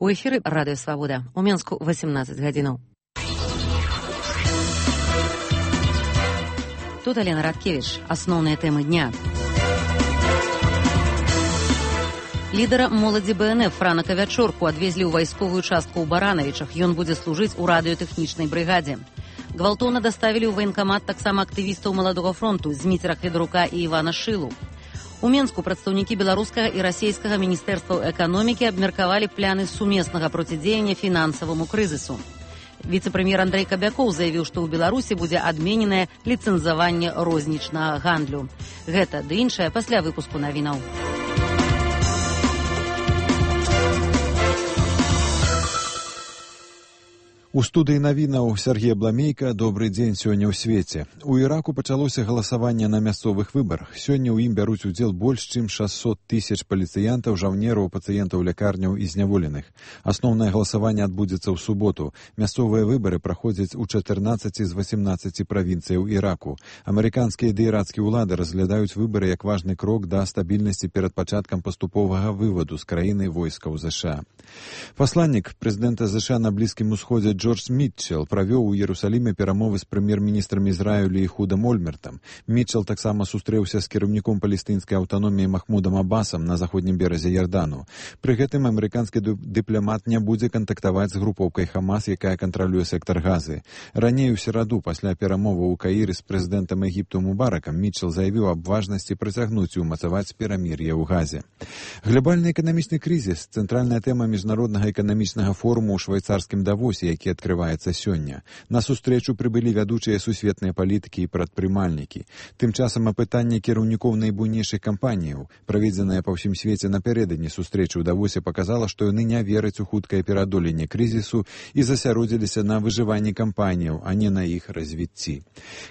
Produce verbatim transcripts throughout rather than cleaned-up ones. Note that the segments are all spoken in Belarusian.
У эфіры радыё Свабода. У Менску восемнадцать гадзінаў. Тут Алена Радкевич. Асноўныя тэмы дня. Лідара моладзі Бэ Эн Эф Франа Кавячорку адвезлі ў вайсковую частку ў Баранавічах. Ён будзе служыць у радыётэхнічнай брыгадзе. Гвалтоўна даставілі ў ваенкамат таксама актывістаў маладога фронту Зміцера Хведрука і Івана Шылу. У Менску прадстаўнікі беларускага і расійскага міністэрстваў эканомікі абмеркавалі пляны сумеснага процідзеяння фінансаваму крызісу. Віцэ-прэм'ер Андрэй Кабякоў заявіў, што ў Беларусі будзе адмененае ліцэнзаванне рознічнага гандлю. Гэта ды іншае пасля выпуску навінаў. У студыі навінаў Сергей Бламейка. Добры дзень сёння ў свеце. У Іраку пачалося галасаванне на мясцовых выбарах. Сёння ў ім бяруць удзел больш чым шэсцьсот тысяч паліцыянтаў, жаўнераў, пацыентаў лякарняў і зняволеных. Асноўнае галасаванне адбудзецца ў суботу. Мясцовыя выбары праходзяць у чатырнаццаці з васемнаццаці правінцыяў Іраку. Амерыканскія ды ірацкія ўлады разглядаюць выбары як важны крок да стабільнасці перад пачаткам паступовага вываду з краіны войскаў ЗША. Пасланнік прэзідэнта ЗША на Блізкім Усходзе Джордж Мітчел правёў у Іерусаліме перамовы з прэм'ер-міністрам Ізраілю Іхудам Ольмертам. Мітчел таксама сустрэўся з кіраўніком палестынскай аўтаноміі Махмудам Абасам на заходнім беразе Ярдану. Пры гэтым амерыканскі дыпламат не будзе кантактаваць з групоўкай Хамас, якая кантралюе сектар Газы. Раней у сераду, пасля перамоваў у Каіры з прэзідэнтам Егіпту Мубаракам, Мітчел заявіў аб важнасці працягнуць і ўмацаваць перамір'е ў Газе. Глобальны эканамічны крызіс – цэнтральная тэма міжнароднага эканамічнага форуму ў швайцарскім Давосе, які адкрываецца сёння. На сустрэчу прыбылі вядучыя сусветныя палітыкі і прадпрымальнікі. Тым часам апытанне кіраўнікоў найбуйнейшых кампаніяў, праведзенае па ўсім свеце напярэдадні сустрэчы ў Давосе, паказала, што яны не вераць у хуткае пераадоленне крызісу і засяродзіліся на выжыванні кампаніяў, а не на іх развіцці.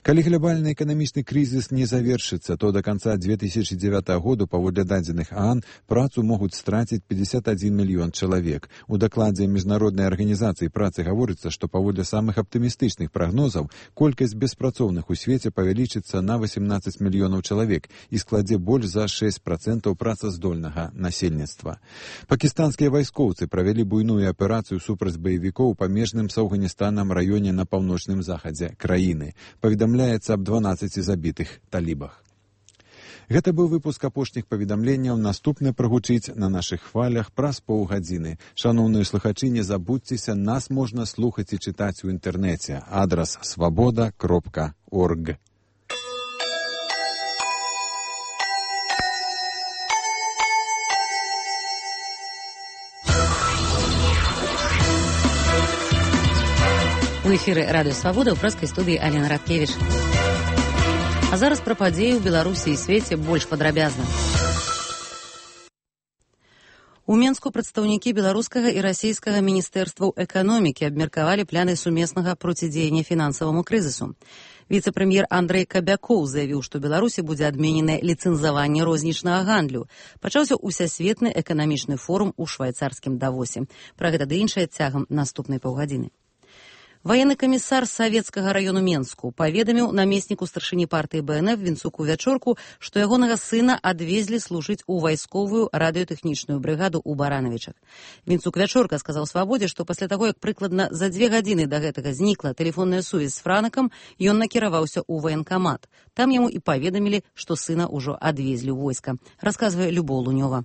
Калі глобальны эканамічны крызіс не завершыцца, то да канца две тысячы дзевятага году, паводле дадзеных ААН, працу могуць страціць пятьдесят один мільён чалавек. У дакладзе міжнароднай арганізацыі працы гаворыцца, што паводле самых аптымістычных прагнозаў колькасць беспрацоўных у свеце павялічыцца на восемнадцать мільёнаў чалавек і складзе больш за шэсць працэнтаў працаздольнага насельніцтва. Пакістанскія вайскоўцы правялі буйную аперацыю супраць баевікоў у памежным з Афганістанам раёне на паўночным захадзе краіны. Паведамляецца аб дванаццаці забітых талібах. Гэта быў выпуск апошніх паведамленняў. Наступны прагучыць на нашых хвалях праз паўгадзіны. Шаноўныя слухачы, не забудзьцеся, нас можна слухаць і чытаць у інтэрнэце. Адрас свабода кропка орг. У эфіры радыё Свабода ў прэскай студыі Алена Радкевич. А зараз пра падзеі ў Беларусі і свеце больш падрабязна. У Менску прадстаўнікі беларускага і расійскага міністэрстваў эканомікі абмеркавалі пляны сумеснага процідзеяння фінансаваму крызісу. Віцэ-прэм'ер Андрэй Кабякоў заявіў, што Беларусі будзе адмененае ліцэнзаванне рознічнага гандлю. Пачаўся ўсясветны эканамічны форум у швайцарскім Давосе. Пра гэта ды іншае цягам наступнай паўгадзіны. Ваенны камісар савецкага раёну Менску паведаміў намесніку старшыні партыі Бэ Эн Эф Вінцуку Вячорку, што ягонага сына адвезлі служыць у вайсковую радыётэхнічную брыгаду ў Баранавічах. Вінцук Вячорка сказаў Свабодзе, што пасля таго, як прыкладна за дзве гадзіны да гэтага знікла тэлефонная сувязь з Франакам, ён накіраваўся ў ваенкамат. Там яму і паведамілі, што сына ўжо адвезлі ў войска. Расказвае Любоў Лунёва.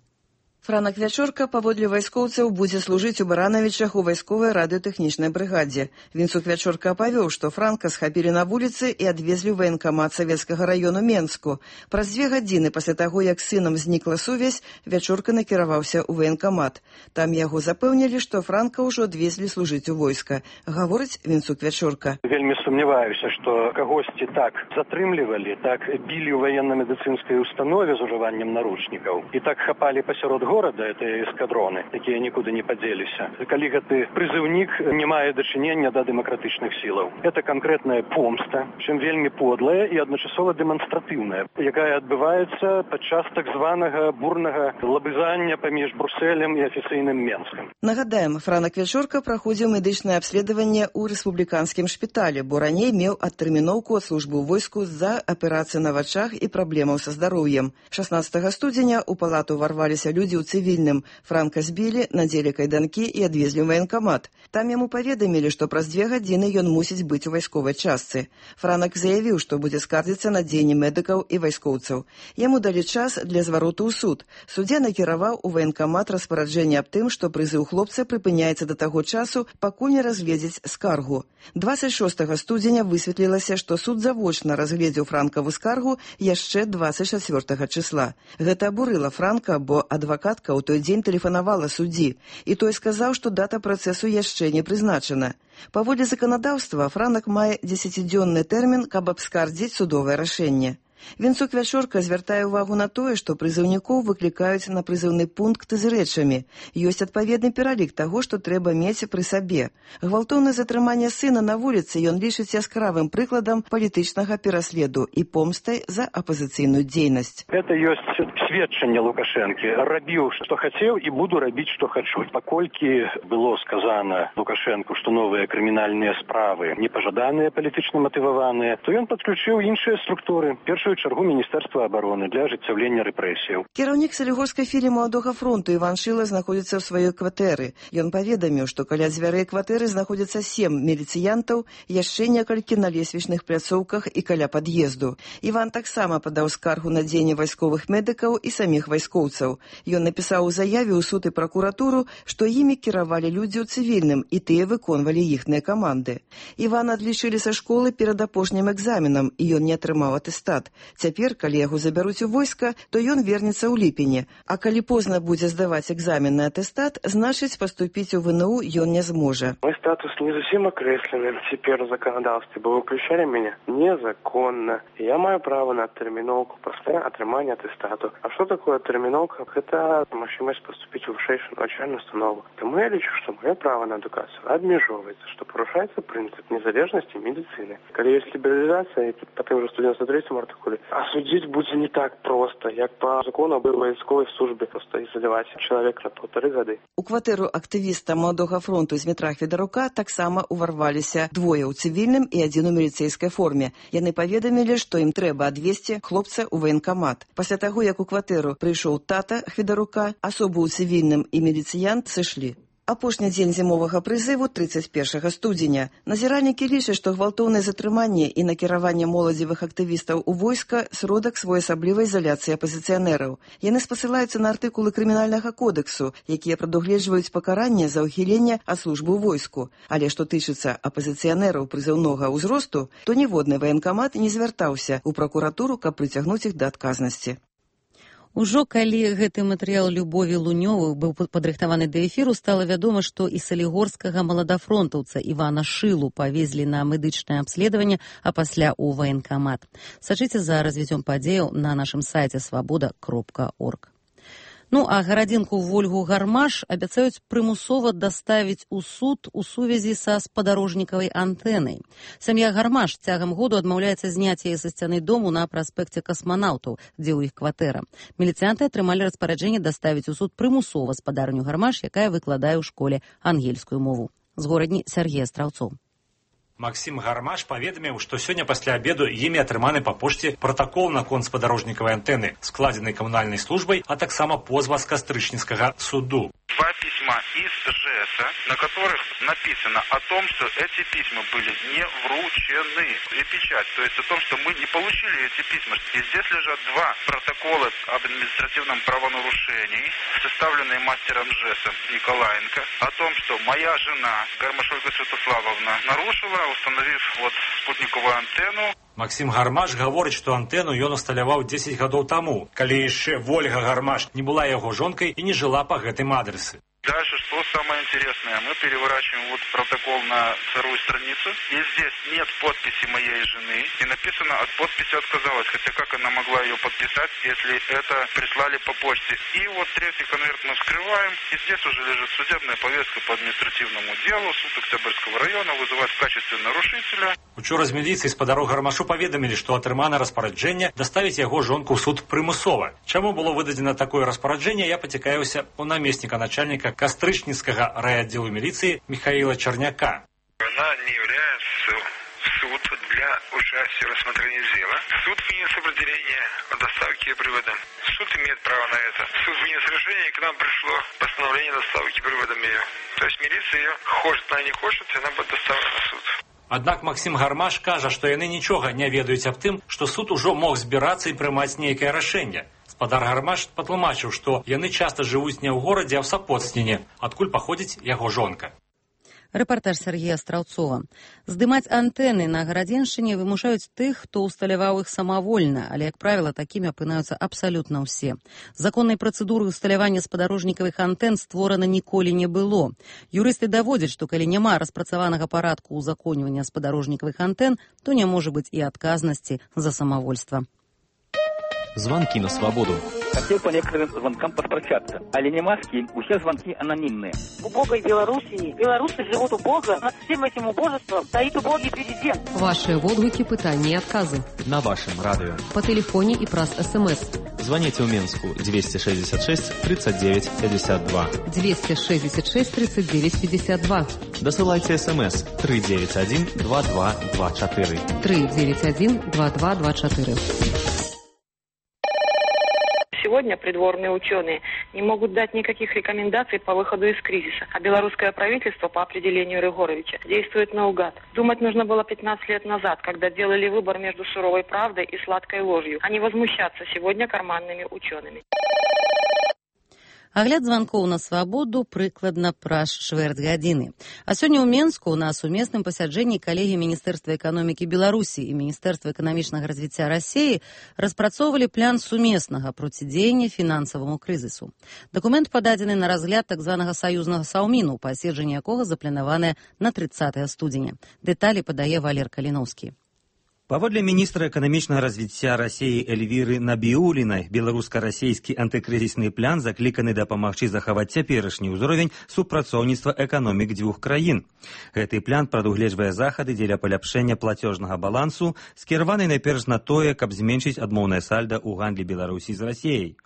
Франак Вячорка, паводле вайскоўцаў, будзе служыць у Баранавічах у вайсковай радыётэхнічнай брыгадзе. Вінцук Вячорка апавёў, што Франка схапілі на вуліцы і адвезлі ў ваенкамат савецкага раёну Менску. Праз дзве гадзіны пасля таго, як з сынам знікла сувязь, Вячорка накіраваўся ў ваенкамат. Там яго запэўнілі, што Франка ўжо адвезлі служыць у войска. Гаворыць Вінцук Вячорка. Вельмі сумняваюся, што кагосьці так затрымлівалі, так білі ў ваенна-медыцынскай установе з ужываннем наручнікаў і так хапалі пасярод года, горада, это эскадроны, якія нікуды не падзеліся. Калі гэты прызыўнік не мае дачынення да дэмакратычных сілаў. Это канкрэтная помста, чым вельмі подлая і адначасова дэманстратыўная, якая адбываецца падчас так званага бурнага лабызання паміж Брусэлем і афіцыйным Менскам. Нагадаем, Франак Вячорка праходзіў медычнае абследаванне ў рэспубліканскім шпіталі, бо раней меў адтэрміноўку ад службы ў войску з-за аперацыі на вачах і праблемаў са здароўем. шаснаццатага студзеня ў палату варваліся людзі ў цывільным. Франка збілі, надзелі кайданкі і адвезлі ў ваенкамат. Там яму паведамілі, што праз дзве гадзіны ён мусіць быць у вайсковай частцы. Франак заявіў, што будзе скардзіцца на дзеянні медыкаў і вайскоўцаў. Яму далі час для звароту ў суд. Суддзя накіраваў у ваенкамат распараджэнне аб тым, што прызыў хлопца прыпыняецца да таго часу, пакуль не разгледзець скаргу. дваццаць шостага студзеня высветлілася, што суд завочна разгледзеў Франкаву скаргу яшчэ дваццаць чацвёртага числа. Гэта абурыла Франка, бо адвакатка ў той дзень тэлефанавала суддзі, і той сказаў, што дата працэсу яшчэ не прызначана. Паводле заканадаўства, Франак мае дзесяцідзённы тэрмін, каб абскардзіць судовае рашэнне. Вінцук Вячорка звяртае ўвагу на тое, што прызыўнікоў выклікаюць на прызыўны пункт з рэчамі. Ёсць адпаведны пералік таго, што трэба мець пры сабе. Гвалтоўнае затрыманне сына на вуліцы ён лічыць яскравым прыкладам палітычнага пераследу і помстай за апазіцыйную дзейнасць. Это ёсць сведчанне Лукашэнкі. Рабіў, што хацеў, і буду рабіць, што хачу. Паколькі было сказана Лукашэнку, што новыя крымінальныя справы непажаданыя, палітычна матываваныя, то ён падключыў іншыя структуры. Першую чаргу Міністэрства абароны для ажыццяўлення рэпрэсіяў. Кіраўнік Салігорскай філіі Маладога фронту Іван Шыла знаходзіцца ў сваёй кватэры. Ён паведаміў, што каля дзвярэй кватэры знаходзяцца сем міліцыянтаў, яшчэ некалькі на лесвічных пляцоўках і каля пад'езду. Іван таксама падаў скаргу на дзеянне вайсковых медыкаў і саміх вайскоўцаў. Ён напісаў у заяве ў суд і пракуратуру, што імі кіравалі людзі ў цывільным, і тыя выконвалі іхныя каманды. Івана адлічылі са школы перад апошнім экзаменам, і ён не атрымаў атэстат. Цяпер, калі яго забяруць у войска, то ён вернецца ў ліпені. А калі позна будзе здаваць экзамен на атэстат, значыць, паступіць у вэ эн у ён не зможа. Мой статус не зусім акрэслены цяпер у заканадаўстве, бо выключалі мяне незаконна. Я маю права на адтэрміноўку пасля атрымання атэстату. А што такое адтэрміноўка? Гэта магчымасць паступіць у вышэйшую навучальную установу. Таму я лічу, што маё права на адукацыю абмяжоўваецца, што парушаецца прынцып незалежнасці медыцыны. Калі ёсць лібералізацыя, па тым жа сто дзевяносто трэцім артыкуле, а судзіць будзе не так проста, як па закону аб вайсковай службе, проста ізаляваць чалавека на паўтары гады. У кватэру актывіста Маладога фронту Змітра Хведарука таксама уварваліся двое ў цывільным і адзін у міліцэйскай форме. Яны паведамілі, што ім трэба адвезці хлопца ў ваенкамат. Пасля таго, як у кватэру прыйшоў тата Хведарука, асобу ў цывільным і міліцыянт сышлі. Апошні дзень зімовага прызыву трыццаць першага студзеня. Назіральнікі лічаць, што гвалтоўнае затрыманне і накіраванне моладзевых актывістаў у войска сродак своеасаблівай ізаляцыі апазіцыянераў. Яны спасылаюцца на артыкулы крымінальнага кодексу, якія прадугледжваюць пакаранне за ўхіленне ад службы ў войску. Але што тычыцца апазіцыянераў прызыўнога ўзросту, то ніводны ваенкамат не звяртаўся ў пракуратуру, каб прыцягнуць іх да адказнасці. Ужо калі гэты матэрыял Любові Лунёвых быў падрыхтаваны да эфіру, стала вядома, што і салігорскага маладафронтаўца Івана Шылу павезлі на медычнае абследаванне, а пасля ў ваенкамат. Сачыце за развіццём падзеяў на нашым сайце свабода кропка орг. Ну, а гарадзінку Вольгу Гармаш абяцаюць прымусова даставіць у суд у сувязі са спадарожнікавай антэнай. Сям'я Гармаш цягам году адмаўляецца зняць яе са сцяны дому на праспекце касманаўтаў, дзе ў іх кватэра. Міліцыянты атрымалі распараджэнне даставіць у суд прымусова спадарню Гармаш, якая выкладае ў школе ангельскую мову. З горадні Сергея Страўцоў. Максим Гармаш паведаміў, што сёння пасля абеду імі атрыманы па пошце пратакол наконт спадарожнікавай антэны, складзенай камунальнай службай, а таксама позва з кастрычніцкага суду. Два письма из ЖЭСа, на которых написано о том, что эти письма были не вручены. И печать, то есть о том, что мы не получили эти письма. И здесь лежат два протокола об административном правонарушении, составленные мастером ЖЭСа Николаенко, о том, что моя жена, Гармаш Ольга Святославовна, нарушила, установив вот спутниковую антенну. Максим Гармаш гаворыць, што антэну ён усталяваў дзесяць гадоў таму, калі яшчэ Вольга Гармаш не была яго жонкай і не жыла па гэтым адрэсы. Дальше, что самое интересное, мы переворачиваем вот протокол на вторую страницу, и здесь нет подписи моей жены, и написано, от подписи отказалась, хотя как она могла ее подписать, если это прислали по почте. И вот третий конверт мы вскрываем, и здесь уже лежит судебная повестка по административному делу, суд Октябрьского района вызывает в качестве нарушителя. Учора з міліцыі спадару Гармашу паведамілі, што атрымана распараджэнне даставіць яго жонку ў суд прымусова. Чаму было выдадзена такое распараджэнне, я пацікаюся у намесніка начальніка Кастрычніцкага райотдела милиции Михаила Черняка. Она не является в суд для участия в рассмотрении дела. Суд вынес определение о доставке привода. Суд имеет право на это. Суд вынес решение, и к нам пришло постановление доставки приводом ее. То есть милиция ее, хочет она не хочет, она будет доставлена в суд. Аднак Максим Гармаш кажа, што яны нічога не ведаюць аб тым, што суд ужо мог збірацца і прымаць нейкае рашэнне. Спадар Гармаш патлумачыў, што яны часта жывуць не ў горадзе, а ў Сапоцтвіне, адкуль паходзіць яго жонка. Рэпартаж Сергея Страўцова. Здымаць антэны на гарадзеншчыне вымушаюць тых, хто ўсталяваў іх самавольна, але, як правіла, такімі апынаюцца абсалютна ўсе. Законнай працэдуры ўсталявання спадарожнікавых антэн створана ніколі не было. Юрысты даводзяць, што калі няма распрацаванага парадку ўзаконьвання спадарожнікавых антэн, то не можа быць і адказнасці за самавольства. Звонки на свободу. Хотел по некоторым звонкам поспрощаться. Але не маски, все звонки анонимные. В убогой Белоруссии белорусы живут убого. Над всем этим убожеством стоит убогий президент. Ваши отклики, пытания и отказы. На вашем радио. По телефоне и праз СМС. Звоните в Минску двести шестьдесят шесть тридцать девять пятьдесят два. двести шестьдесят шесть тридцать девять пятьдесят два. Досылайте СМС три девять один два два два четыре. три девять один два два два четыре. Сегодня придворные ученые не могут дать никаких рекомендаций по выходу из кризиса, а белорусское правительство по определению Рыгоровича действует наугад. Думать нужно было пятнадцать лет назад, когда делали выбор между суровой правдой и сладкой ложью, а не возмущаться сегодня карманными учеными. Агляд званкоў на свабоду прыкладна праз чвэрць гадзіны. А сёння ў Менску на сумесным пасяджэнні калегі Міністэрства эканомікі Беларусі і Міністэрства эканамічнага развіцця Расіі распрацоўвалі план сумеснага процідзеяння фінансаваму крызісу. Дакумент пададзены на разгляд так званага саюзнага саўміну, паседжанне якога запланаванае на трыццатае студзеня. Дэталі падае Валер Каліноўскі. Паводле міністра эканамічнага развіцця Расіі Эльвіры Набіулінай, беларуска-расійскі антыкрызісны план закліканы дапамагчы захаваць цяперашні ўзровень супрацоўніцтва эканомік дзвюх краін. Гэты план прадугледжвае захады дзеля паляпшэння плацёжнага балансу, скіраваны найперш на тое, каб зменшыць адмоўнае сальда ў гандлі Беларусі з Расіяй.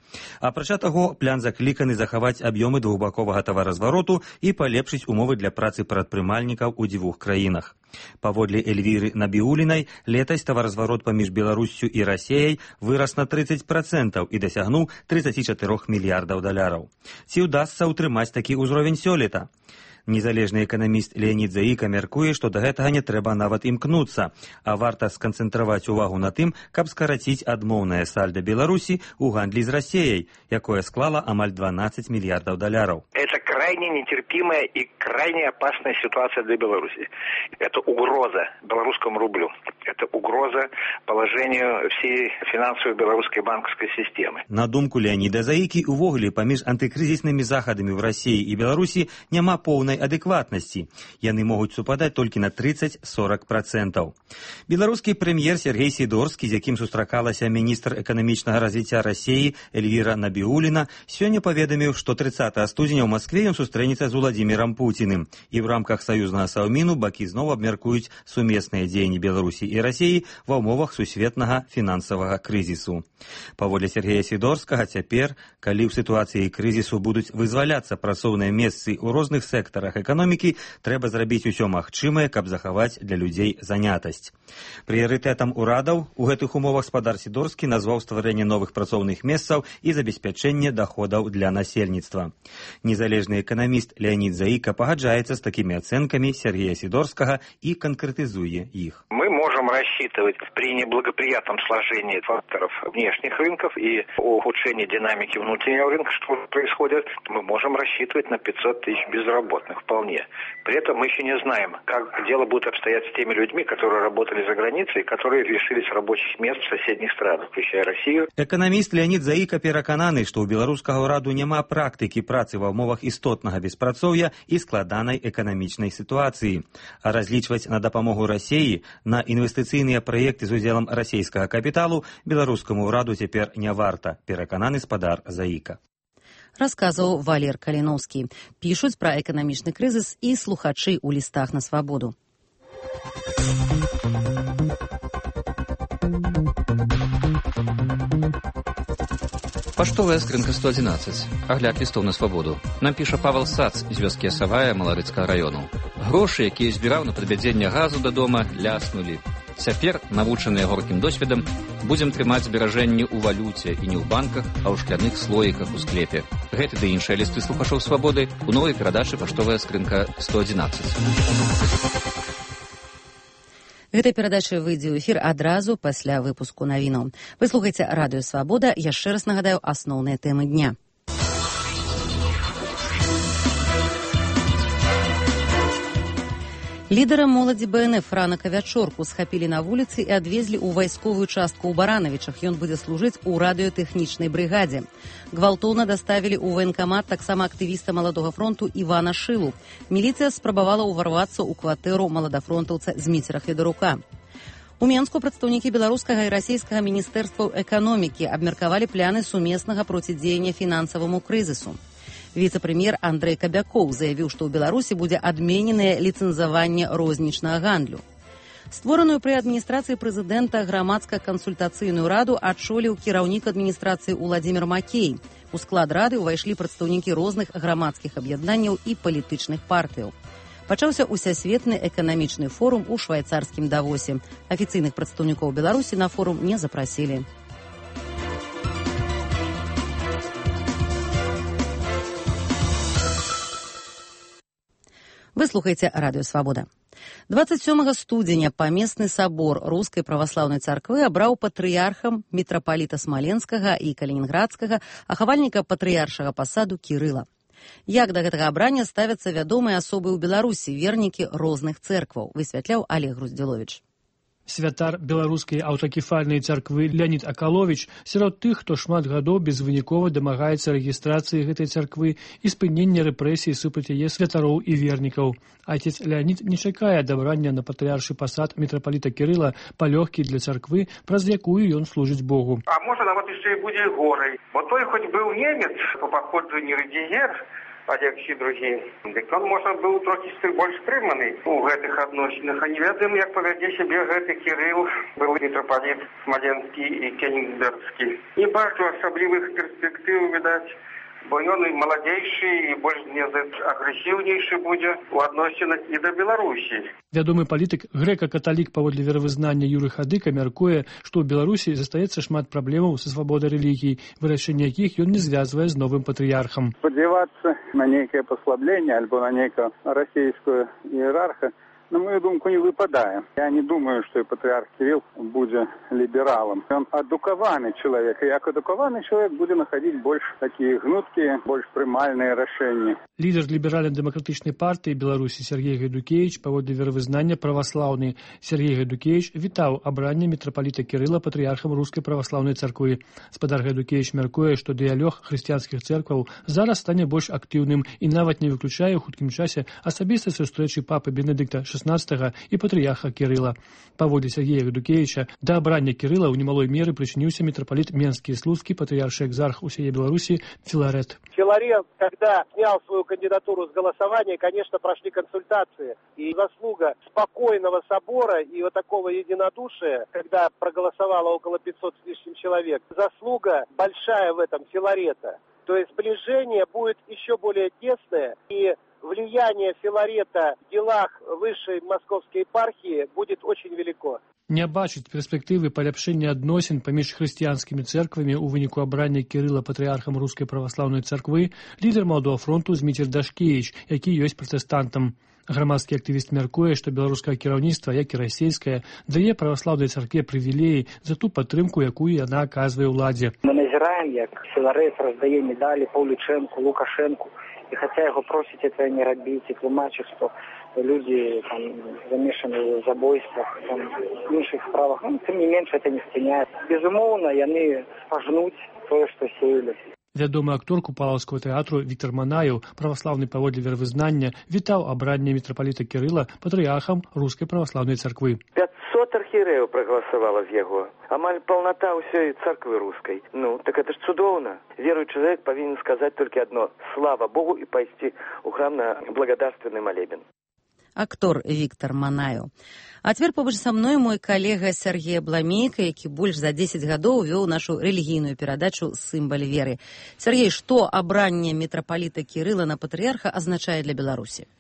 Апрача таго, план закліканы захаваць аб'ёмы двухбаковага таваразвароту і палепшыць умовы для працы прадпрымальнікаў у дзвюх краінах. Паводле Эльвіры Набіулінай, летась таваразварот паміж Беларуссю і Расіяй вырас на тридцать процентаў і дасягнуў тридцать четыре мільярдаў даляраў. Ці ўдасца ўтрымаць такі ўзровень сёлета? Незалежны эканаміст Леонід Заіка мяркуе, што да гэтага не трэба нават імкнуцца, а варта сканцэнтраваць увагу на тым, каб скараціць адмоўнае сальда Беларусі ў гандлі з Расіяй, якое склала амаль дванадцать мільярдаў даляраў. Это крайне нетерпимая и крайне опасная ситуация для Беларуси. Это угроза белорусскому рублю. Это угроза положению всей финансовой белорусской банковской системы. На думку Леоніда Заікі, увогуле паміж антыкрызіснымі захадамі ў Расіі і Беларусі няма поўнай адэкватнасці. Яны могуць супадаць толькі на тридцать - сорок процентаў. Беларускі прэм'ер Сергей Сідорскі, з якім сустракалася міністр эканамічнага развіцця Расіі Эльвіра Набіуліна, сёння паведаміў, што трыццатага студзеня ў Маскве ён сустрэнецца з Уладзімірам Пуціным. І ў рамках саюзнага саўміну бакі зноў абмяркуюць сумесныя дзеянні Беларусі і Расіі ва ўмовах сусветнага фінансавага крызісу. Паводле Сергея Сідорскага, цяпер, калі ў сітуацыі крызісу будуць вызваляцца працоўныя месцы ў розных сектарах эканомікі, трэба зрабіць усё магчымае, каб захаваць для людзей занятасць. Прыярытэтам урадаў у гэтых умовах спадар Сідорскі назваў стварэнне новых працоўных месцаў і забеспячэнне даходаў для насельніцтва. Незалежны эканаміст Леонід Заіка пагаджаецца з такімі ацэнкамі Сергея Сідорскага і канкрэтызуе іх. Мы можем рассчитывать при неблагоприятном сложении факторов внешних рынков и ухудшении динамики внутреннего рынка, что происходит, мы можем рассчитывать на пятьсот тысяч безработных вполне. При этом мы еще не знаем, как дело будет обстоять с теми людьми, которые работали за границей, которые лишились рабочих мест в соседних странах, включая Россию. Экономист Леонид Заика перакананы, што ў беларускага ўраду няма практыкі працы ва ўмовах істотнага беспрацоўя і складанай эканамічнай сітуацыі. А разлічваць на дапамогу Расіі на інвестыцыйныя праекты з удзелам расійскага капіталу беларускаму ўраду цяпер не варта, перакананы спадар Заіка. Расказваў Валер Каліноўскі. Пішуць пра эканамічны крызіс і слухачы ў лістах на свабоду. Паштовая скрынка сто одиннадцать. Агляд лістоў на свабоду. Нам піша Павел Сац з вёскі Асавая Маларыцкага району. Грошы, якія збіраў на падвядзенне газу да дома, ляснулі. Цяпер, навучаныя горкім досведам, будзем трымаць зберажэнні ў валюце і не ў банках, а ў шкляных слоіках у склепе. Гэты ды іншыя лісты слухачоў свабоды у новай перадачы «Паштовая скрынка сто одиннадцать». Гэта перадача выйдзе ў эфір адразу пасля выпуску навінаў. Вы слухаеце радыё «Свабода». Яшчэ раз нагадаю асноўныя тэмы дня. Лідара моладзі Бэ Эн Эф Франака Вячорку схапілі на вуліцы і адвезлі ў вайсковую частку ў Баранавічах. Ён будзе служыць у радыётэхнічнай брыгадзе. Гвалтоўна даставілі ў ваенкамат таксама актывіста Маладога фронту Івана Шылу. Міліцыя спрабавала ўварвацца ў кватэру маладафронтаўца Зміцера Федарука. У Менску прадстаўнікі беларускага і расійскага міністэрстваў эканомікі абмеркавалі пляны сумеснага процідзеяння фінансаваму крызісу. Віцэ-прэм'ер Андрэй Кабякоў заявіў, што ў Беларусі будзе адмененае ліцэнзаванне рознічнага гандлю. Створаную пры адміністрацыі прэзідэнта грамадска-кансультацыйную раду адчоліў кіраўнік адміністрацыі Уладзімір Макей. У склад рады ўвайшлі прадстаўнікі розных грамадскіх аб'яднанняў і палітычных партыяў. Пачаўся усесветны эканамічны форум у швайцарскім Давосе. Афіцыйных прадстаўнікоў Беларусі на форум не запрасілі. Вы слухаеце радыё «Свабода». дваццаць сёмага студзеня памесны сабор Рускай праваслаўнай царквы абраў патрыярхам мітрапаліта Смаленскага і Калінінградскага, ахавальніка патрыяршага пасаду Кірыла. Як да гэтага абрання ставяцца вядомыя асобы ў Беларусі, вернікі розных цэркваў, высвятляў Олег Груздзіловіч. Святар беларускай аўтакефальнай царквы Леонид Акалович сярод тых, хто шмат гадоў безвынікова дамагаецца рэгістрацыі гэтай царквы і спынення рэпрэсій супраць яе святароў і вернікаў. Отец Леонид не чакае адабрання на патрыяршы пасад мітрапаліта Кірыла палёгкі для царквы, праз якую ён служыць Богу. А можа нават яшчэ і будзе горай, бо той хоць быў немец по паходжанню рэгіер, а як всі другі, дык он, можа, быў трохі больш стрыманы у гэтых адносінах. А не ведаем, як павядзе сябе гэты Кірыл, быў мітрапаліт Смаленскі і Кенігсбергскі. Не бачу асаблівых перспектыў, відаць, бо ён і маладзейшы, і больш не агрэсіўнейшы будзе у адносінах і да Беларусі. Вядомы палітык, грэка-каталік паводле веравызнання Юры Хадыка мяркуе, што ў Беларусі застаецца шмат праблемаў са свабодай рэлігіі, вырашэнне якіх ён не звязвае з новым патрыярхам. Спадзявацца на нейкае паслабленне альбо на нейкую расійскую іерарха, на мою думку, не выпадае. Я не думаю, што і патрыарх Кірыл будзе лібералам. Ён адукаваны чалавек, і як адукаваны чалавек будзе находить больш такія гнуткія, больш прымальныя рашэнні. Лідар ліберальна-дэмакратычнай партыі Беларусі Сергей Гайдукевич, паводле веравызнання праваслаўны Сергей Гайдукевич, вітаў абранне мітрапаліта Кірыла патрыярхам Рускай праваслаўнай царквы. Спадар Гайдукевич мяркуе, што дыялог хрысціянскіх цэркваў зараз стане больш актыўным і нават не выключае ў хуткім часе асабістай сустрэчы папы Бенедыкта шаснаццатага і патрыярха Кірыла. Паводле Сергея Гайдукевича, да абрання Кірыла ў немалой меры прычыніўся мітрапаліт Менскі і Слуцкі, патрыяршы экзарх усей Беларусі Филарет. Филарет, когда снял свою кандидатуру с голосования, конечно, прошли консультации. И заслуга спокойного собора и вот такого единодушия, когда проголосовало около пятисот с лишним человек, заслуга большая в этом Филарета. То есть сближение будет еще более тесное, и влияние Филарета в делах высшей московской епархии будет очень велико. Не бачыць перспектывы паляпшэння адносін паміж хрысціянскімі цэрквамі ў выніку абрання Кірыла патрыярхам Рускай праваслаўнай царквы лідар Маладога фронту Зміцер Дашкевіч, які ёсць пратэстантам. Грамадскі актывіст мяркуе, што беларускае кіраўніцтва, як і расійскае, дае праваслаўнай царкве прывілеі за ту падтрымку, якую яна аказвае ўладзе. Мы назіраем, як Філарэт раздае медалі Паўлічэнку, Лукашэнку, і хаця яго просіць это не рабіць і тлумачыць, што люди там замешаны в забойствах, там, в іншых справах, ну, тым не менш это не спыняе. Безумоўна, яны пажнуць тое, што сеялі. Вядомы актор Купалаўскага тэатру Віктар Манаеў, праваслаўны паводле веравызнання, вітаў абранне мітрапаліта Кірыла патрыярхам Рускай праваслаўнай царквы. пятьсот архієрэяў прагаласавала з яго. Амаль паўната ўсёй царквы рускай. Ну, так это ж цудоўна. Веруючы чалавек павінен сказаць толькі адно: слава Богу, і пайсці ў храм на благодарственны малебен. Актор Віктар Манаеў. А цяпер побач са мной мой калега Сергей Бламейка, які больш за дзесяць гадоў вёў нашу рэлігійную перадачу «Сімбаль веры». Сергей, што абранне мітрапаліта Кірыла на патрыярха азначае для Беларусі?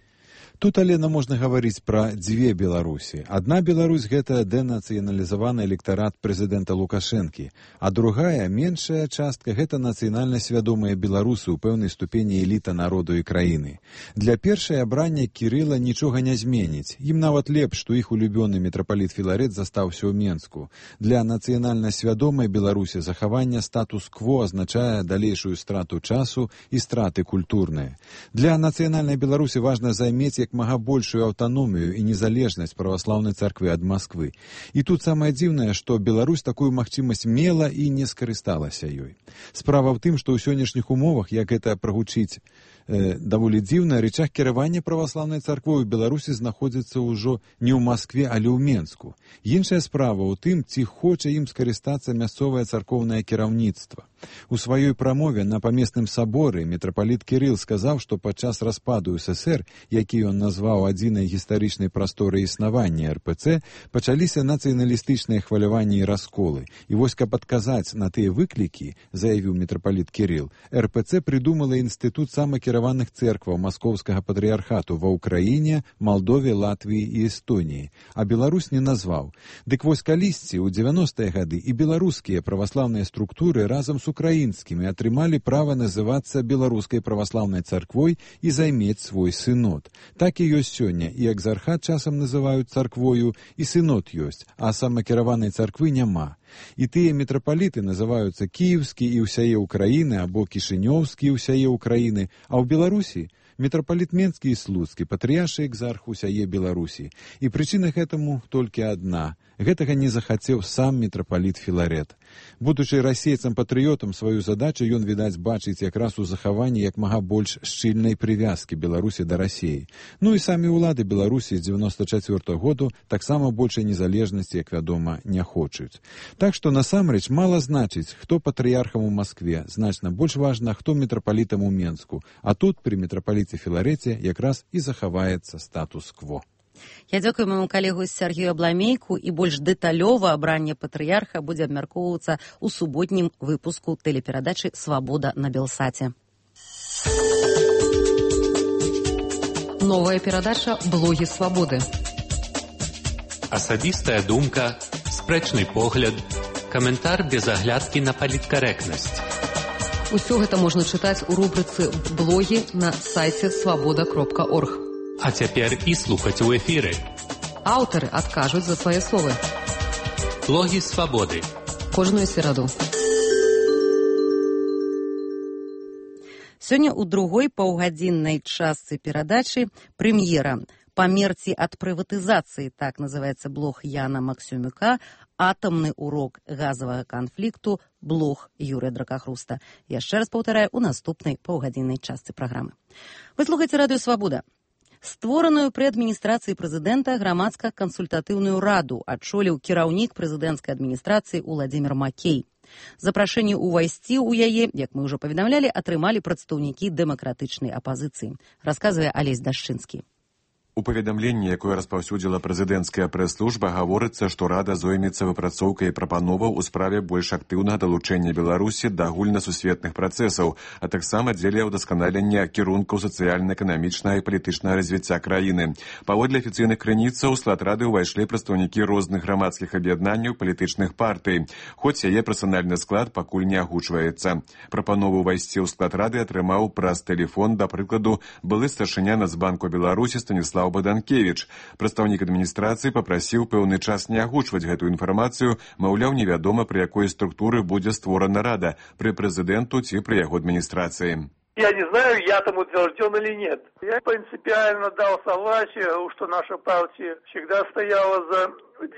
Тут, Алена, можна гаварыць пра дзве Беларусі. Адна Беларусь – гэта дэнацыяналізаваны электарат прэзідэнта Лукашэнкі, а другая, меншая частка – гэта нацыянальна свядомыя беларусы ў пэўнай ступені эліта народу і краіны. Для першай абрання Кірыла нічога не зменіць. Ім нават лепш, што іх улюбёны мітрапаліт Філарэт застаўся ў Менску. Для нацыянальна свядомай Беларусі захаванне статус-кво азначае далейшую страту часу і страты культурныя. Для нацыянальнай Беларусі важна займець як мага большую аўтаномію і незалежнасць праваслаўнай царквы ад Масквы. І тут самае дзіўнае, што Беларусь такую магчымасць мела і не скарысталася ёй. Справа ў тым, што ў сённяшніх умовах, як гэта прагучыць э, даволі дзіўна, рычаг кіравання праваслаўнай царквой у Беларусі знаходзіцца ўжо не ў Маскве, але ў Менску. Іншая справа ў тым, ці хоча ім скарыстацца мясцовае царкоўнае кіраўніцтва. У сваёй прамове на памесным саборы мітрапаліт Кірыл сказаў, што падчас распаду ССР, які ён назваў адзінай гістарычнай прасторай існавання эр пэ цэ, пачаліся нацыяналістычныя хваляванні і расколы. І вось, каб адказаць на тыя выклікі, заявіў мітрапаліт Кірыл, эр пэ цэ прыдумала інстытут самакіраваных цэркваў маскоўскага патрыярхату ва Ўкраіне, Малдове, Латвіі і Эстоніі, а Беларусь не назваў. Дык вось калісьці, у дзевяностыя гады, і беларускія праваслаўныя структуры разам з украінскімі атрымалі права называцца беларускай праваслаўнай царквой і займець свой сынод. Так і ёсць сёння, і экзархат часам называюць царквою, і сынод ёсць, а самакіраванай царквы няма. І тыя мітрапаліты называюцца кіеўскі і ўсяе Ўкраіны або кішынёўскі і ўсяе Ўкраіны, а ў Беларусі мітрапаліт Менскі і Слуцкі, патрыяршы экзарх усяе Беларусі. І прычына гэтаму толькі адна. Гэтага не захацеў сам мітрапаліт Філарэт. Будучы расейцам-патрыётам, сваю задачу ён, відаць, бачыць якраз у захаванні як мага больш шчыльнай прывязкі Беларусі да Расіі. Ну і самі ўлады Беларусі з дзевяноста чацвёртага году таксама большай незалежнасці, як вядома, не хочуць. Так што насамрэч мала значыць, хто патрыярхам у Маскве, значна больш важна, хто мітрапалітам у Менску. А тут пры мітрапаліце Філарэце якраз і захаваецца статус-кво. Я дзякую майму калегу Сергею Бламейку, і больш дэталёва абранне патрыярха будзе абмяркоўвацца ў суботнім выпуску тэлеперадачы «Свабода» на Белсаце. Новая перадача «Блогі свабоды». Асабістая думка, спрэчны погляд, каментар без аглядкі на паліткарэктнасць. Усё гэта можна чытаць у рубрыцы «Блогі» на сайце свабода кропка орг. А цяпер і слухаць у эфіры. Аўтары адкажуць за свае словы. Блогі свабоды. Кожную сераду. Сёння ў другой паўгадзіннай частцы перадачы прэм'ера «Памерці ад прыватызацыі», так называецца блог Яна Максюмюка, «Атамны урок газавага канфлікту», блог Юрыя Дракахруста. Яшчэ раз паўтараю, у наступнай паўгадзіннай частцы праграмы. Вы слухаеце радыё «Свабода». Створаную пры адміністрацыі прэзідэнта грамадска-кансультатыўную раду адчоліў кіраўнік прэзідэнцкай адміністрацыі Уладзімір Макей. Запрашэнне ўвайсці ў яе, як мы ўжо паведамлялі, атрымалі прадстаўнікі дэмакратычнай апазіцыі, расказвае Алесь Дашчынскі. У паведамленні, якое распаўсюдзіла прэзідэнцкая прэс-служба, гаворыцца, што рада зоймецца выпрацоўкай прапановаў у справе больш актыўнага далучэння Беларусі да агульнасусветных працэсаў, а таксама дзеля ўдасканалення кірункаў сацыяльна-эканамічнага і палітычнага развіцця краіны. Паводле афіцыйных крыніцаў у склад рады ўвайшлі прадстаўнікі розных грамадскіх аб'яднанняў палітычных партый, хоць яе персанальны склад пакуль не агучваецца. Прапанову ўвайсці ў склад рады атрымаў праз тэлефон, да прыкладу, былы старшыня Нацбанку Беларусі Станіслав Радзіслаў Баданкевіч. Прадстаўнік адміністрацыі папрасіў пэўны час не агучваць гэтую інфармацыю, маўляў, невядома, пры якой структуры будзе створана рада, пры прэзідэнту ці пры яго адміністрацыі. Я не знаю, я там утвержден или нет. Я принципиально дал согласие, что наша партия всегда стояла за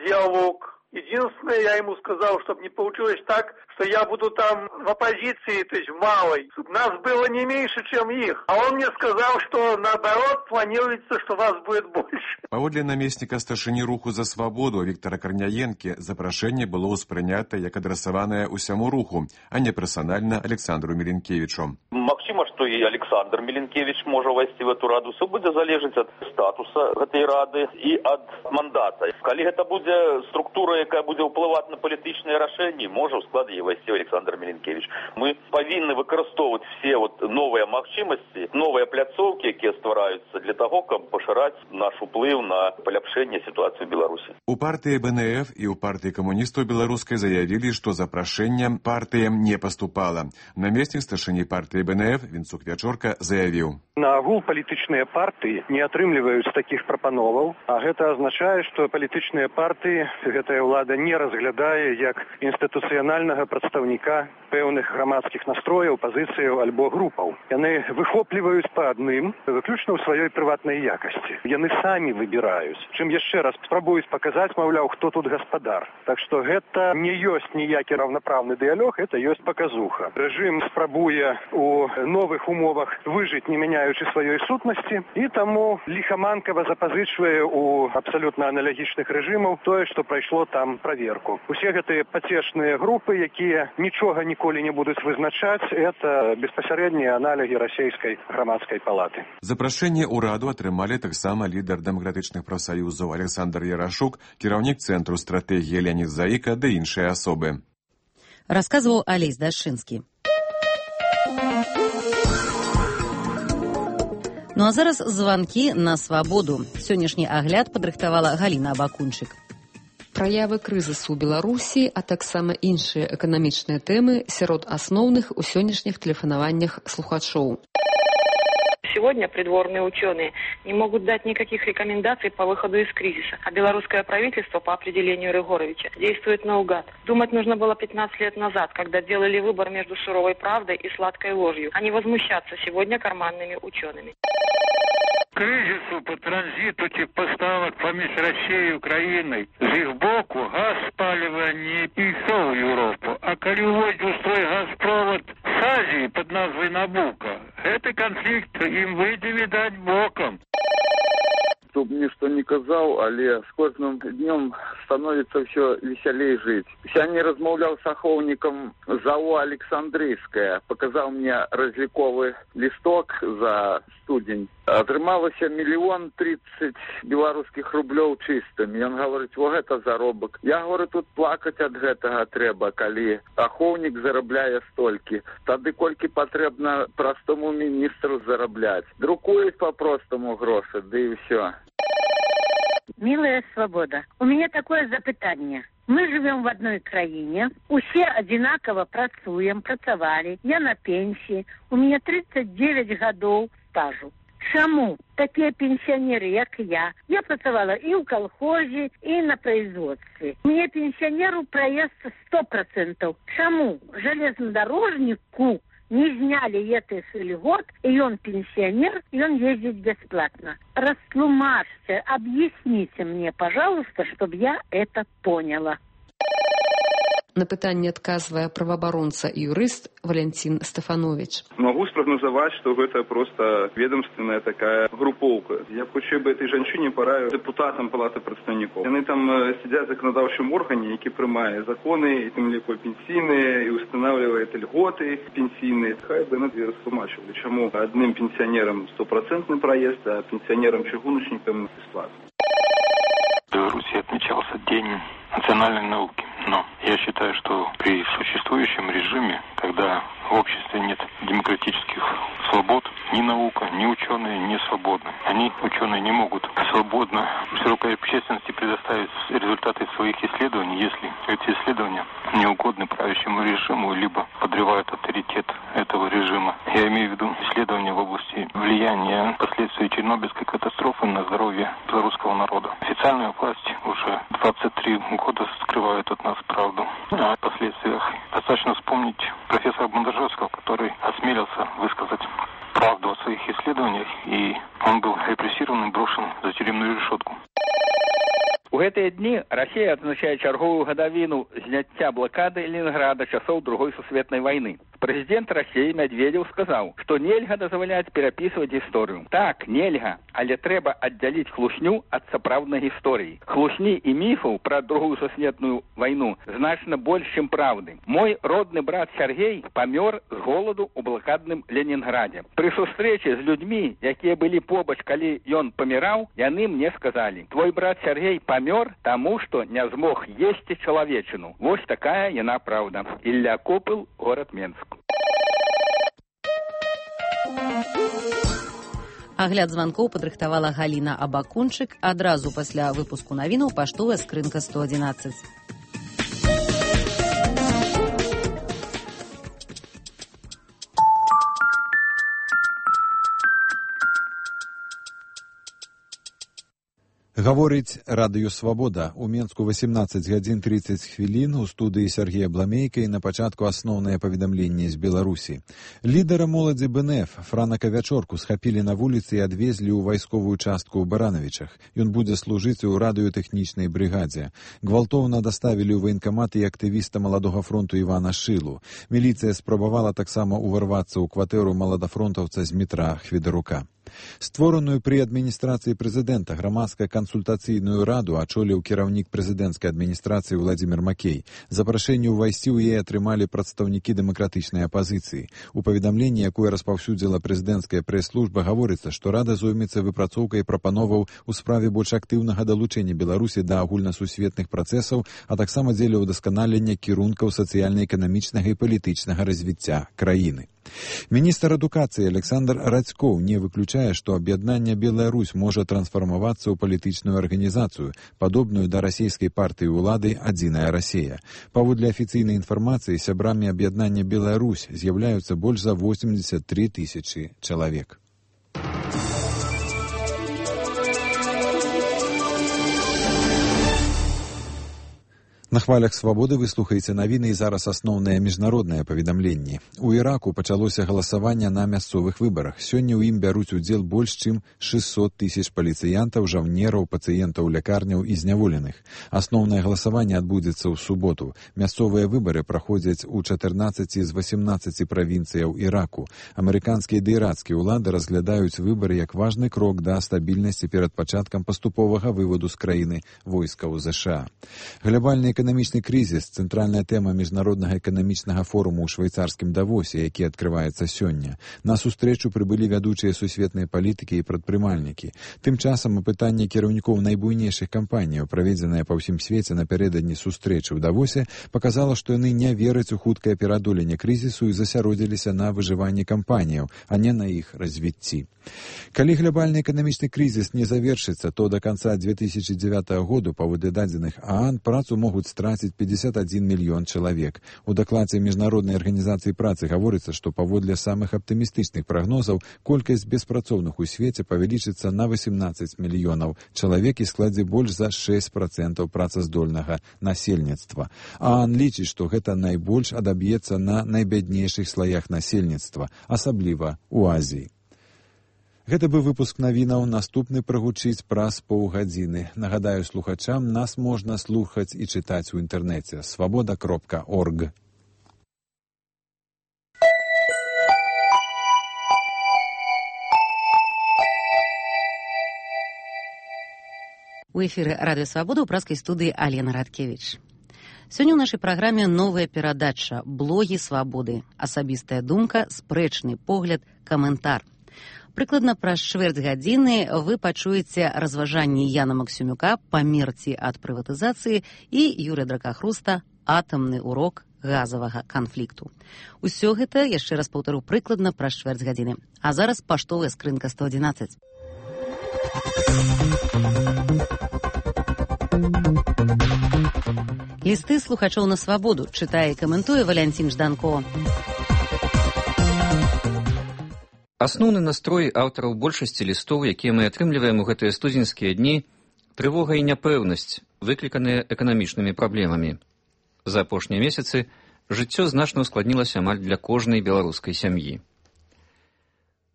диалог. Единственное, я ему сказал, чтобы не получилось так, что я буду там в оппозиции, то есть в малой, чтобы нас было не меньше, чем их. А он мне сказал, что наоборот планируется, что вас будет больше. Паводле намесніка старшыні руху за свабоду Віктара Карняенкі запрашэнне было ўспрынята як адрасаванае ўсяму руху, а не персанальна Александру Меленкевичу. Магчыма, што і Александр Меленкевич можа ўвайсці в эту раду. Все будзе залежаць ад статуса гэтай рады і ад мандата. Калі гэта будзе структура, якая будзе ўплываць на палітычныя рашэнні, можа ў склад яе ўвайсці Александр Меленкевич. Мы павінны выкарыстоўваць все вот новыя магчымасці, новыя пляцоўкі, якія ствараюцца для таго, каб пашыраць наш уплыў на паляпшэнне сітуацыі ў Беларусі. У партыі бэ эн эф і ў партыі камуністаў беларускай заявілі, што запрашэнне партыям не паступала. Намеснік старшыні партыі бэ эн эф Вінцук Вячорка заявіў: На агул палітычныя партыі не атрымліваюць такіх прапановаў, а гэта азначае, што палітычныя партыі гэтая ўлада не разглядае як інстытуцыянальнага прадстаўніка пэўных грамадскіх настрояў, пазіцыяў альбо групаў. Яны выхопліваюць па адным, выключна ў сваёй прыватнай якасці. Яны самі выбіраюць. Чым яшчэ раз спрабуюць паказаць, маўляў, хто тут гаспадар. Так што гэта не ёсць ніякі раўнапраўны дыялог, гэта ёсць паказуха. Рэжым спрабуе у новых умовах выжыць, не мяняючы сваёй сутнасці, і таму ліхаманкава запазычвае у абсалютна аналагічных рэжымаў тое, што прайшло там праверку. Усе гэтыя пацешныя групы, якія нічога ніколі не будуць вызначаць, это беспасярэднія аналогі расійскай грамадскай палаты. Запрашэнне ў раду атрымалі таксама лідар дэмакратычных прафсаюзаў Александр Ярашук, кіраўнік цэнтру стратэгіі Леонід Заіка ды іншыя асобы. Расказваў Алесь Дашчынскі. Ну а зараз званкі на свабоду. Сённяшні агляд падрыхтавала Галіна Абакунчык. Праявы крызісу ў Беларусі, а таксама іншыя эканамічныя тэмы сярод асноўных у сённяшніх тэлефанаваннях слухачоў. Сегодня придворные ученые не могут дать никаких рекомендаций по выходу из кризиса, а белорусское правительство по определению Рыгоровича действует наугад. Думать нужно было пятнадцать лет назад, когда делали выбор между суровой правдой и сладкой ложью, а не возмущаться сегодня карманными учеными. Кризису по транзиту тип поставок поміж Россией и Украиной з их боку газ спалива не пішов в Европу, а коли уводит свой газпровод с Азии под назвой Набуко, этот конфликт им выйдет, видать, боком. Чтоб ничто не казал, але с каждым днем становится все веселее жить. Я не размовлял с аховником ЗАО «Александрийская». Показал мне разликовый листок за студень. Атрымалася миллион тридцать белорусских рублёў чистым. И он говорит, вот это заробок. Я говорю, тут плакать от гэтага трэба, калі аховник зарабляе столькі. Тады колькі патрэбна простому министру зараблять. Друкует по-простому грошы, да и все. Милая свобода, у меня такое запытание. Мы живем в одной краине, усе одинаково працуем, працавали. Я на пенсии, у меня тридцать девять годов стажу. Чаму такие пенсионеры, як я? Я працавала и в колхозе, и на производстве. Мне пенсионеру проезд сто процентов. Чаму железнодорожнику не сняли этих льгот, и он пенсионер, и он ездит бесплатно? Растлумажьте, объясните мне, пожалуйста, чтобы я это поняла. На пытанне адказвае праваабаронца і юрыст Валянцін Стефанович. Могу спрогнозовать, что это просто ведомственная такая групповка. Я хочу бы этой женщине пораю депутатам Палаты представников. Они там сидят в законодавчем органе, які приймає закони, і тим ліко пенсійні, і устанавливає льготи пенсійні. Хай би не розтлумачили, чому одним пенсионерам стопроцентный проезд, а пенсионерам-чыгуночникам бесплатно. В Беларуси отмечался День национальной науки. Но я считаю, что при существующем режиме, когда в обществе нет демократических свобод, ни наука, ни ученые не свободны. Они, ученые, не могут свободно широкой общественности предоставить результаты своих исследований, если эти исследования не угодны правящему режиму, либо подрывают авторитет этой этого режима. Я имею в виду исследования в области влияния последствий Чернобыльской катастрофы на здоровье белорусского народа. Официальная власть уже двадцать три года скрывает от нас правду о последствиях. Достаточно вспомнить профессора Бондаржевского, который осмелился высказать правду о своих исследованиях, и он был репрессирован и брошен за тюремную решетку. У гэтыя дні Расія адзначае чарговую гадавіну зняцця блакады Ленінграда часоў другой сусветнай вайны. Прэзідэнт Расіі Медведзеў сказаў, што нельга дазваляць перапісваць гісторыю. Так, нельга, але трэба аддзяліць хлусню ад сапраўднай гісторыі. Хлусні і міфаў пра другую сусветную вайну значна больш, чым правды. Мой родны брат Сергей памёр з голаду ў блакадным Ленінградзе. Пры сустрэчы з людзьмі, якія былі побач, калі ён паміраў, яны мне сказалі: твой брат Сергей памёр таму, што не змог есці чалавечыну. Вось такая яна праўда. Ілля Копыл, горад Менск. Агляд званкоў падрыхтавала Галіна Абакунчык. Адразу пасля выпуску навінаў паштовая скрынка сто адзінаццаць. Гаворыць радыё «Свабода». У Менску восемнадцать гадзін тридцать хвілін. У студыі Сергея Бламейка і на пачатку асноўныя паведамленні з Беларусі. Лідара моладзі БНФ Франа Кавячорку схапілі на вуліцы і адвезлі ў вайсковую частку ў Баранавічах. Ён будзе служыць у радыётэхнічнай брыгадзе. Гвалтоўна даставілі ў ваенкамат і актывіста Маладога фронту Івана Шылу. Міліцыя спрабавала таксама ўварвацца ў кватэру маладафронтаўца Змітра Хведарука. Створаную пры адміністрацыі прэзідэнта грамадска-кансультацыйную раду ачоліў кіраўнік прэзідэнцкай адміністрацыі Владзімір Макей. Запрашэнне ўвайсці ў яе атрымалі прадстаўнікі дэмакратычнай апазіцыі. У паведамленні, якое распаўсюдзіла прэзідэнцкая прэс-служба, гаворыцца, што рада зоймецца выпрацоўкай прапановаў у справе больш актыўнага далучэння Беларусі да агульнасусветных працэсаў, а таксама дзеля ўдасканалення кірункаў сацыяльна-эканамічнага і палітычнага развіцця краіны. Міністр адукацыі Александр Радзькоў не выключае, што аб'яднанне Беларусь можа трансфармавацца ў палітычную арганізацыю, падобную да расійскай партыі ўлады «Адзіная Расія». Паводле афіцыйнай інфармацыі, сябрамі аб'яднання Беларусь з'яўляюцца больш за восемьдесят три тысячи чалавек. На хвалях «Свабоды» вы слухаеце навіны і зараз асноўныя міжнародныя паведамленні. У Іраку пачалося галасаванне на мясцовых выбарах. Сёння ў ім бяруць удзел больш чым шестьсот тысяч паліцыянтаў, жаўнераў, пацыентаў лякарняў і зняволеных. Асноўнае галасаванне адбудзецца ў суботу. Мясцовыя выбары праходзяць у чатырнаццаці з восемнадцаці правінцыяў Іраку. Амерыканскія ды ірацкія ўлады разглядаюць выбары як важны крок да стабільнасці перад пачаткам паступовага выводу з краіны войскаў ЗША. Глобальны эканамічны крызіс – цэнтральная тэма міжнароднага эканамічнага форуму ў швейцарскім Давосе, які адкрываецца сёння. На сустрэчу прыбылі вядучыя сусветныя палітыкі і прадпрымальнікі. Тым часам апытанне кіраўнікоў найбуйнейшых кампаніяў, праведзенае па ўсім свеце напярэдадні сустрэчы ў Давосе, паказала, што яны не вераць у хуткае пераадоленне крызісу і засяродзіліся на выжыванні кампаніяў, а не на іх развіцці. Калі глобальны эканамічны крызіс не завершыцца, то до конца две тысячи девятого году, паводле дадзеных ААН, працу могуць страціць пятьдесят один мільён чалавек. У дакладзе Міжнароднай арганізацыі працы гаворыцца, што паводле самых аптымістычных прагнозаў колькасць беспрацоўных у свеце павялічыцца на восемнадцать мільёнаў чалавек і складзе больш за шесть процентов працаздольнага насельніцтва. ААН лічыць, што гэта найбольш адаб'ецца на найбяднейшых слаях насельніцтва, асабліва ў Азіі. Гэта быў выпуск навінаў, наступны прагучыць праз паўгадзіны. Нагадаю слухачам, нас можна слухаць і чытаць у інтэрнэце свабода кропка орг. У эфіры радыё «Свабода» ў праскай студыі Алена Радкевіч. Сёння ў нашай праграме новая перадача «Блогі свабоды». Асабістая думка, спрэчны погляд, каментар. Прыкладна праз чвэрць гадзіны вы пачуеце разважанні Яна Максюмюка «Памерці ад прыватызацыі» і Юрыя Дракахруста «Атамны урок газавага канфлікту». Усё гэта, яшчэ раз паўтару, прыкладна праз чвэрць гадзіны. А зараз паштовая скрынка сто адзінаццаць. Лісты слухачоў на свабоду чытае і каментуе Валянцін Жданко. Асноўны настрой аўтараў большасці лістоў, якія мы атрымліваем у гэтыя студзеньскія дні, трывога і няпэўнасць, выкліканыя эканамічнымі праблемамі. За апошнія месяцы жыццё значна ўскладнілася амаль для кожнай беларускай сям'і.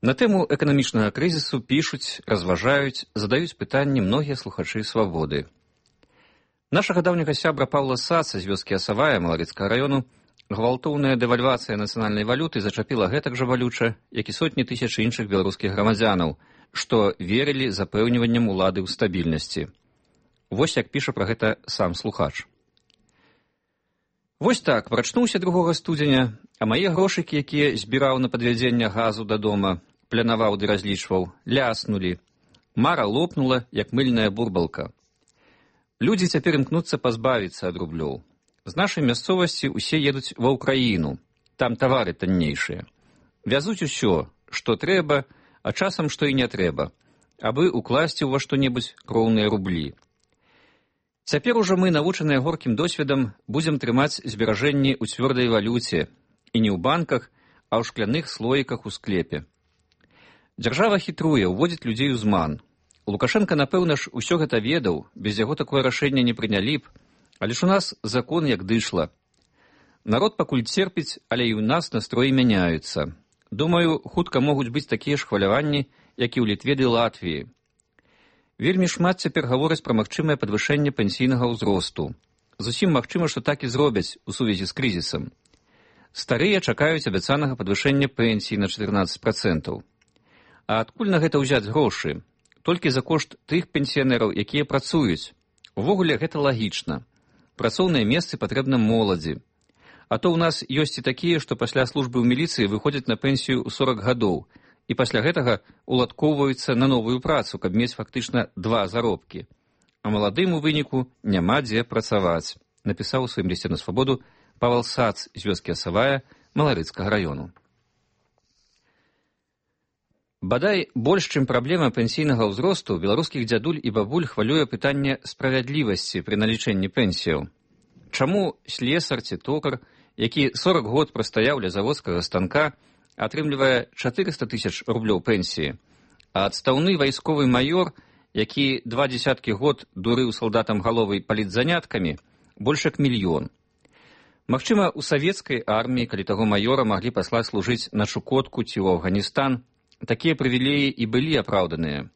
На тэму эканамічнага крызісу пішуць, разважаюць, задаюць пытанні многія слухачы «Свабоды». Нашага даўняга сябра Паўла Саца з вёскі Асавая Малавіцкага раёну гвалтоўная дэвальвацыя нацыянальнай валюты зачапіла гэтак жа балюча, як і сотні тысяч іншых беларускіх грамадзянаў, што верылі запэўніванням улады ў стабільнасці. Вось як піша пра гэта сам слухач. Вось так, прачнуўся другога студзеня, а мае грошыкі, якія збіраў на падвядзенне газу да дома, планаваў ды разлічваў, ляснулі. Мара лопнула, як мыльная бурбалка. Людзі цяпер імкнуцца пазбавіцца ад рублёў. З нашай мясцовасці ўсе едуць ва ўкраіну, там тавары таннейшыя. Вязуць усё, што трэба, а часам што і не трэба, абы укласці ўва што-небудзь кроўныя рублі. Цяпер ужо мы, навучаныя горкім досведам, будзем трымаць зберажэнні ў цвёрдай валюце, і не ў банках, а ў шкляных слоіках у склепе. Дзяржава хітруе, уводзіць людзей у зман. Лукашенко, напэўна ж, усё гэта ведаў, без яго такое рашэнне не прынялі б, але ж у нас закон як дышла. Народ пакуль церпіць, але і ў нас настроі мяняюцца. Думаю, хутка могуць быць такія ж хваляванні, як і ў Літве ды Латвіі. Вельмі шмат цяпер гавораць пра магчымае падвышэнне пенсійнага ўзросту. Зусім магчыма, што так і зробяць у сувязі з крызісам. Старыя чакаюць абяцанага падвышэння пенсій на чатырнаццаць працэнтаў. А адкуль на гэта ўзяць грошы? Толькі за кошт тых пенсіянераў, якія працуюць. Увогуле гэта лагічна. Працоўныя месцы патрэбна моладзі. А то ў нас ёсць і такія, што пасля службы ў міліцыі выходзяць на пенсію ў сорак гадоў і пасля гэтага уладкоўваюцца на новую працу, каб мець фактычна два заробкі. А маладым у выніку няма дзе працаваць, напісаў у сваім лісце на Свабоду Павел Сац з вёскі Асавая Маларыцкага раёну. Бадай, больш, чым праблема пенсійнага ўзросту, беларускіх дзядуль і бабуль хвалюе пытанне справядлівасці пры налічэнні пенсіяў. Чаму слесар ці токар, які сорак год прастаяў ля заводскага станка, атрымлівае чатырыста тысяч рублёў пенсіі, а адстаўны вайсковы маёр, які два дзесяткі год дурыў салдатам галовай палітзаняткамі, больш як мільён. Магчыма, у савецкай арміі, калі таго маёра маглі паслаць служыць на Чукотку ці ў Афганістан, такія прывілеі і былі апраўданыя.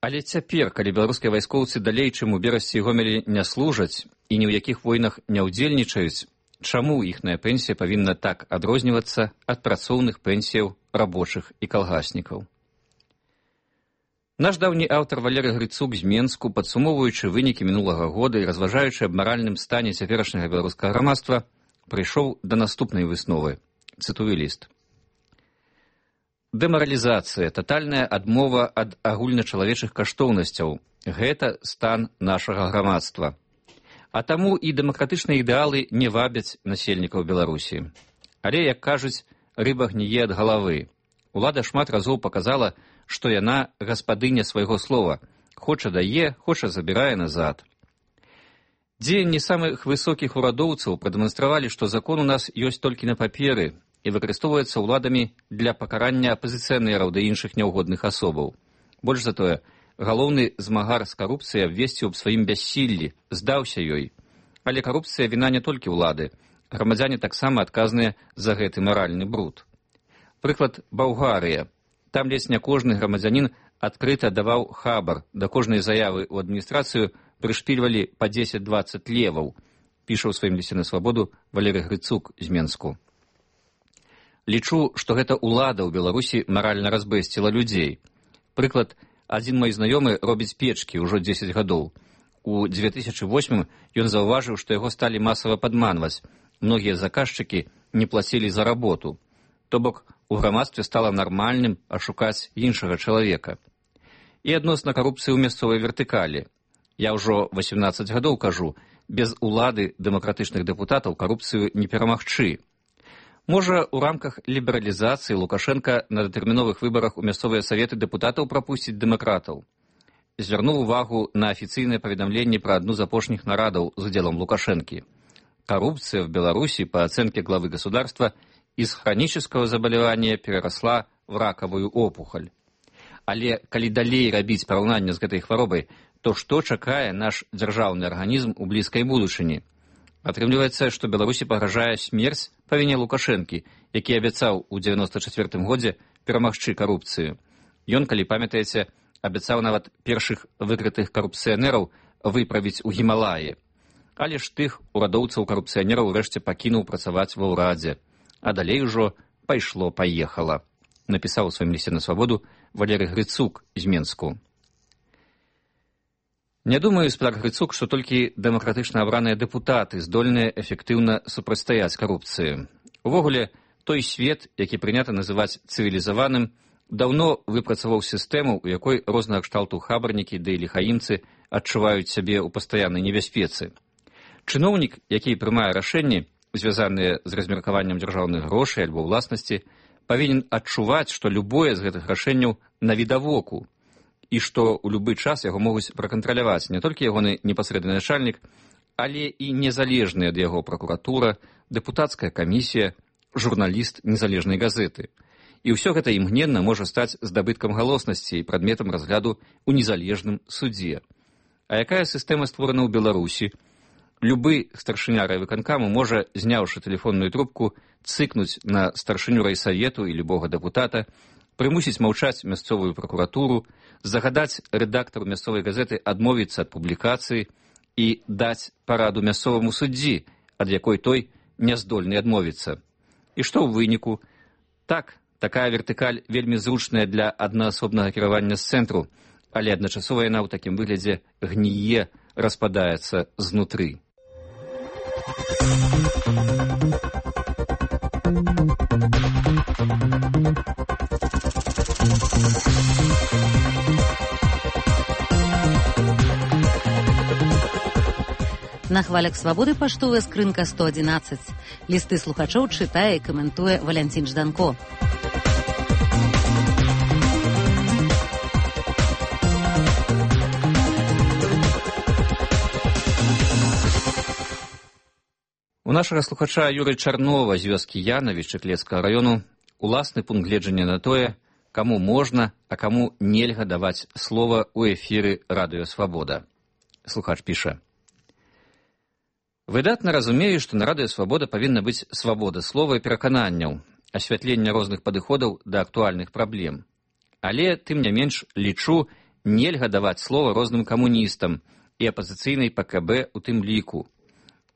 Але цяпер, калі беларускія вайскоўцы далей, чым у Берасці і Гомелі не служаць і ні ў якіх войнах не ўдзельнічаюць, чаму іхная пенсія павінна так адрознівацца ад працоўных пенсіяў рабочых і калгаснікаў? Наш даўні аўтар Валерый Грыцук з Менску, падсумоўваючы вынікі мінулага года і разважаючы аб маральным стане цяперашняга беларускага грамадства, прыйшоў да наступнай высновы. Цытую ліст. Дэмаралізацыя, татальная адмова ад агульначалавечых каштоўнасцяў – гэта стан нашага грамадства. А таму і дэмакратычныя ідэалы не вабяць насельнікаў Беларусі. Але, як кажуць, рыба гніе ад галавы. Улада шмат разоў паказала, што яна гаспадыня свайго слова. Хоча дае, хоча забірае назад. Дзеянні самых высокіх урадоўцаў прадэманстравалі, што закон у нас ёсць толькі на паперы і выкарыстоўваецца ўладамі для пакарання апазіцыянераў да іншых няўгодных асобаў. Больш за тое, галоўны змагар з карупцыяй абвесціў аб сваім бяссіллі, здаўся ёй. Але карупцыя віна не толькі ўлады. Грамадзяне таксама адказныя за гэты маральны бруд. Прыклад Балгарыя. Там ледзь не кожны грамадзянін адкрыта даваў хабар, да кожнай заявы ў адміністрацыю прышпільвалі па дзесяць-дваццаць леваў, піша ў сваім лісце на Свабоду Валерый Грыцук з Менску. Лічу, што гэта ўлада ў Беларусі маральна разбэсціла людзей. Прыклад, адзін мой знаёмы робіць печкі ўжо дзесяць гадоў. У дзве тысячы восьмым ён заўважыў, што яго сталі масава падманваць. Многія заказчыкі не плацілі за работу. То бок, у грамадстве стала нармальным ашукаць іншага чалавека. І адносна карупцыі ў мясцовай вертыкалі. Я ўжо васемнаццаць гадоў кажу, без улады дэмакратычных дэпутатаў карупцыю не перамагчы. Можа, у рамках лібералізацыі Лукашенка на датэрміновых выбарах у мясцовыя саветы дэпутатаў прапусціць дэмакратаў. Звярнуў увагу на афіцыйнае паведамленне пра адну з апошніх нарадаў з удзелам Лукашэнкі. Коррупция в Беларуси, по оценке главы государства, из хронического заболевания переросла в ракавую опухоль. Але калі далей рабіць параўнанне з гэтай хваробай, то што чакае наш дзяржаўны арганізм у блізкай будучыні? Атрымліваецца, што Беларусі пагражае смерць па віне Лукашэнкі, які абяцаў у дзевяноста чацвёртым годзе перамагчы карупцыю. Ён, калі памятаеце, абяцаў нават першых выкрытых карупцыянераў выправіць у Гімалаі. Але ж тых урадоўцаў карупцыянераў урэшце пакінуў працаваць ва ўрадзе, а далей ужо пайшло-паехала, напісаў у сваім лісце на свабоду Валерый Грыцук з Менску. Не думаю, спадар Грыцук, што толькі дэмакратычна абраныя дэпутаты здольныя эфектыўна супрацьстаяць карупцыі. Увогуле, той свет, які прынята называць цывілізаваным, даўно выпрацаваў сістэму, у якой рознага кшталту хабарнікі ды ліхаімцы адчуваюць сябе ў пастаяннай небяспецы. Чыноўнік, які прымае рашэнні, звязаныя з размеркаваннем дзяржаўных грошай альбо ўласнасці, павінен адчуваць, што любое з гэтых рашэнняў навідавоку, і што ў любы час яго могуць пракантраляваць не толькі ягоны непасрэдны начальнік, але і незалежная ад яго пракуратура, дэпутацкая камісія, журналіст незалежнай газеты. І ўсё гэта імгненна можа стаць здабыткам галоснасці і прадметам разгляду ў незалежным судзе. А якая сістэма створана ў Беларусі? Любы старшыня райвыканкаму можа, зняўшы тэлефонную трубку, цыкнуць на старшыню райсавету і любога дэпутата, прымусіць маўчаць мясцовую пракуратуру, загадаць рэдактару мясцовай газеты адмовіцца ад публікацыі і даць параду мясцоваму суддзі, ад якой той не здольны адмовіцца. І што ў выніку? Так, такая вертыкаль вельмі зручная для аднаасобнага кіравання з цэнтру, але адначасова яна ў такім выглядзе гніе, распадаецца знутры. На хвалях свабоды паштовая скрынка сто адзінаццаць. Лісты слухачоў чытае і каментуе Валянцін Жданко. У нашага слухача Юры Чарнова з вёскі Янавічы Клецкага раёну уласны пункт гледжання на тое, каму можна, а каму нельга даваць слова ў эфіры Радыё Свабода. Слухач піша: выдатна разумею, што на Радыё Свабода павінна быць свабода слова і перакананняў, асвятленне розных падыходаў да актуальных праблем. Але, тым не менш, лічу, нельга даваць слова розным камуністам і апазіцыйнай па ка бэ у тым ліку.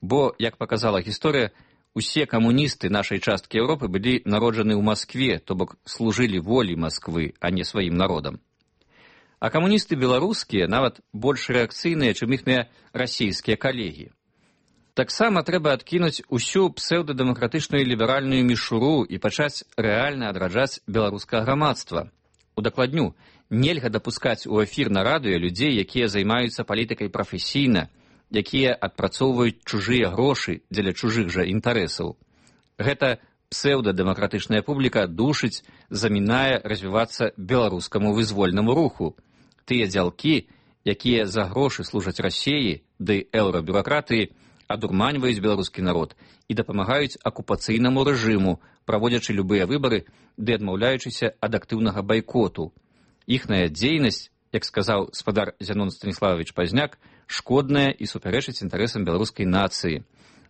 Бо, як паказала гісторыя, усе камуністы нашай часткі Еўропы былі народжаны ў Маскве, то бок служылі волі Масквы, а не сваім народам. А камуністы беларускія нават больш рэакцыйныя, чым іхныя расійскія калегі. Таксама трэба адкінуць усю псеўдадэмакратычную ліберальную мішуру і пачаць рэальна адраджаць беларускае грамадства. Удакладню, нельга дапускаць у эфір на радыё людзей, якія займаюцца палітыкай прафесійна, якія адпрацоўваюць чужыя грошы дзеля чужых жа інтарэсаў. Гэта псеўдадэмакратычная публіка душыць, замінае развівацца беларускаму вызвольнаму руху. Тыя дзялкі, якія за грошы служаць Расіі ды еўрабюракратыі, адурманьваюць беларускі народ і дапамагаюць акупацыйнаму рэжыму, праводзячы любыя выбары ды адмаўляючыся ад актыўнага байкоту. Іхная дзейнасць, як сказаў спадар Зянон Станіславович Пазняк, шкодная і супярэчыць інтарэсам беларускай нацыі.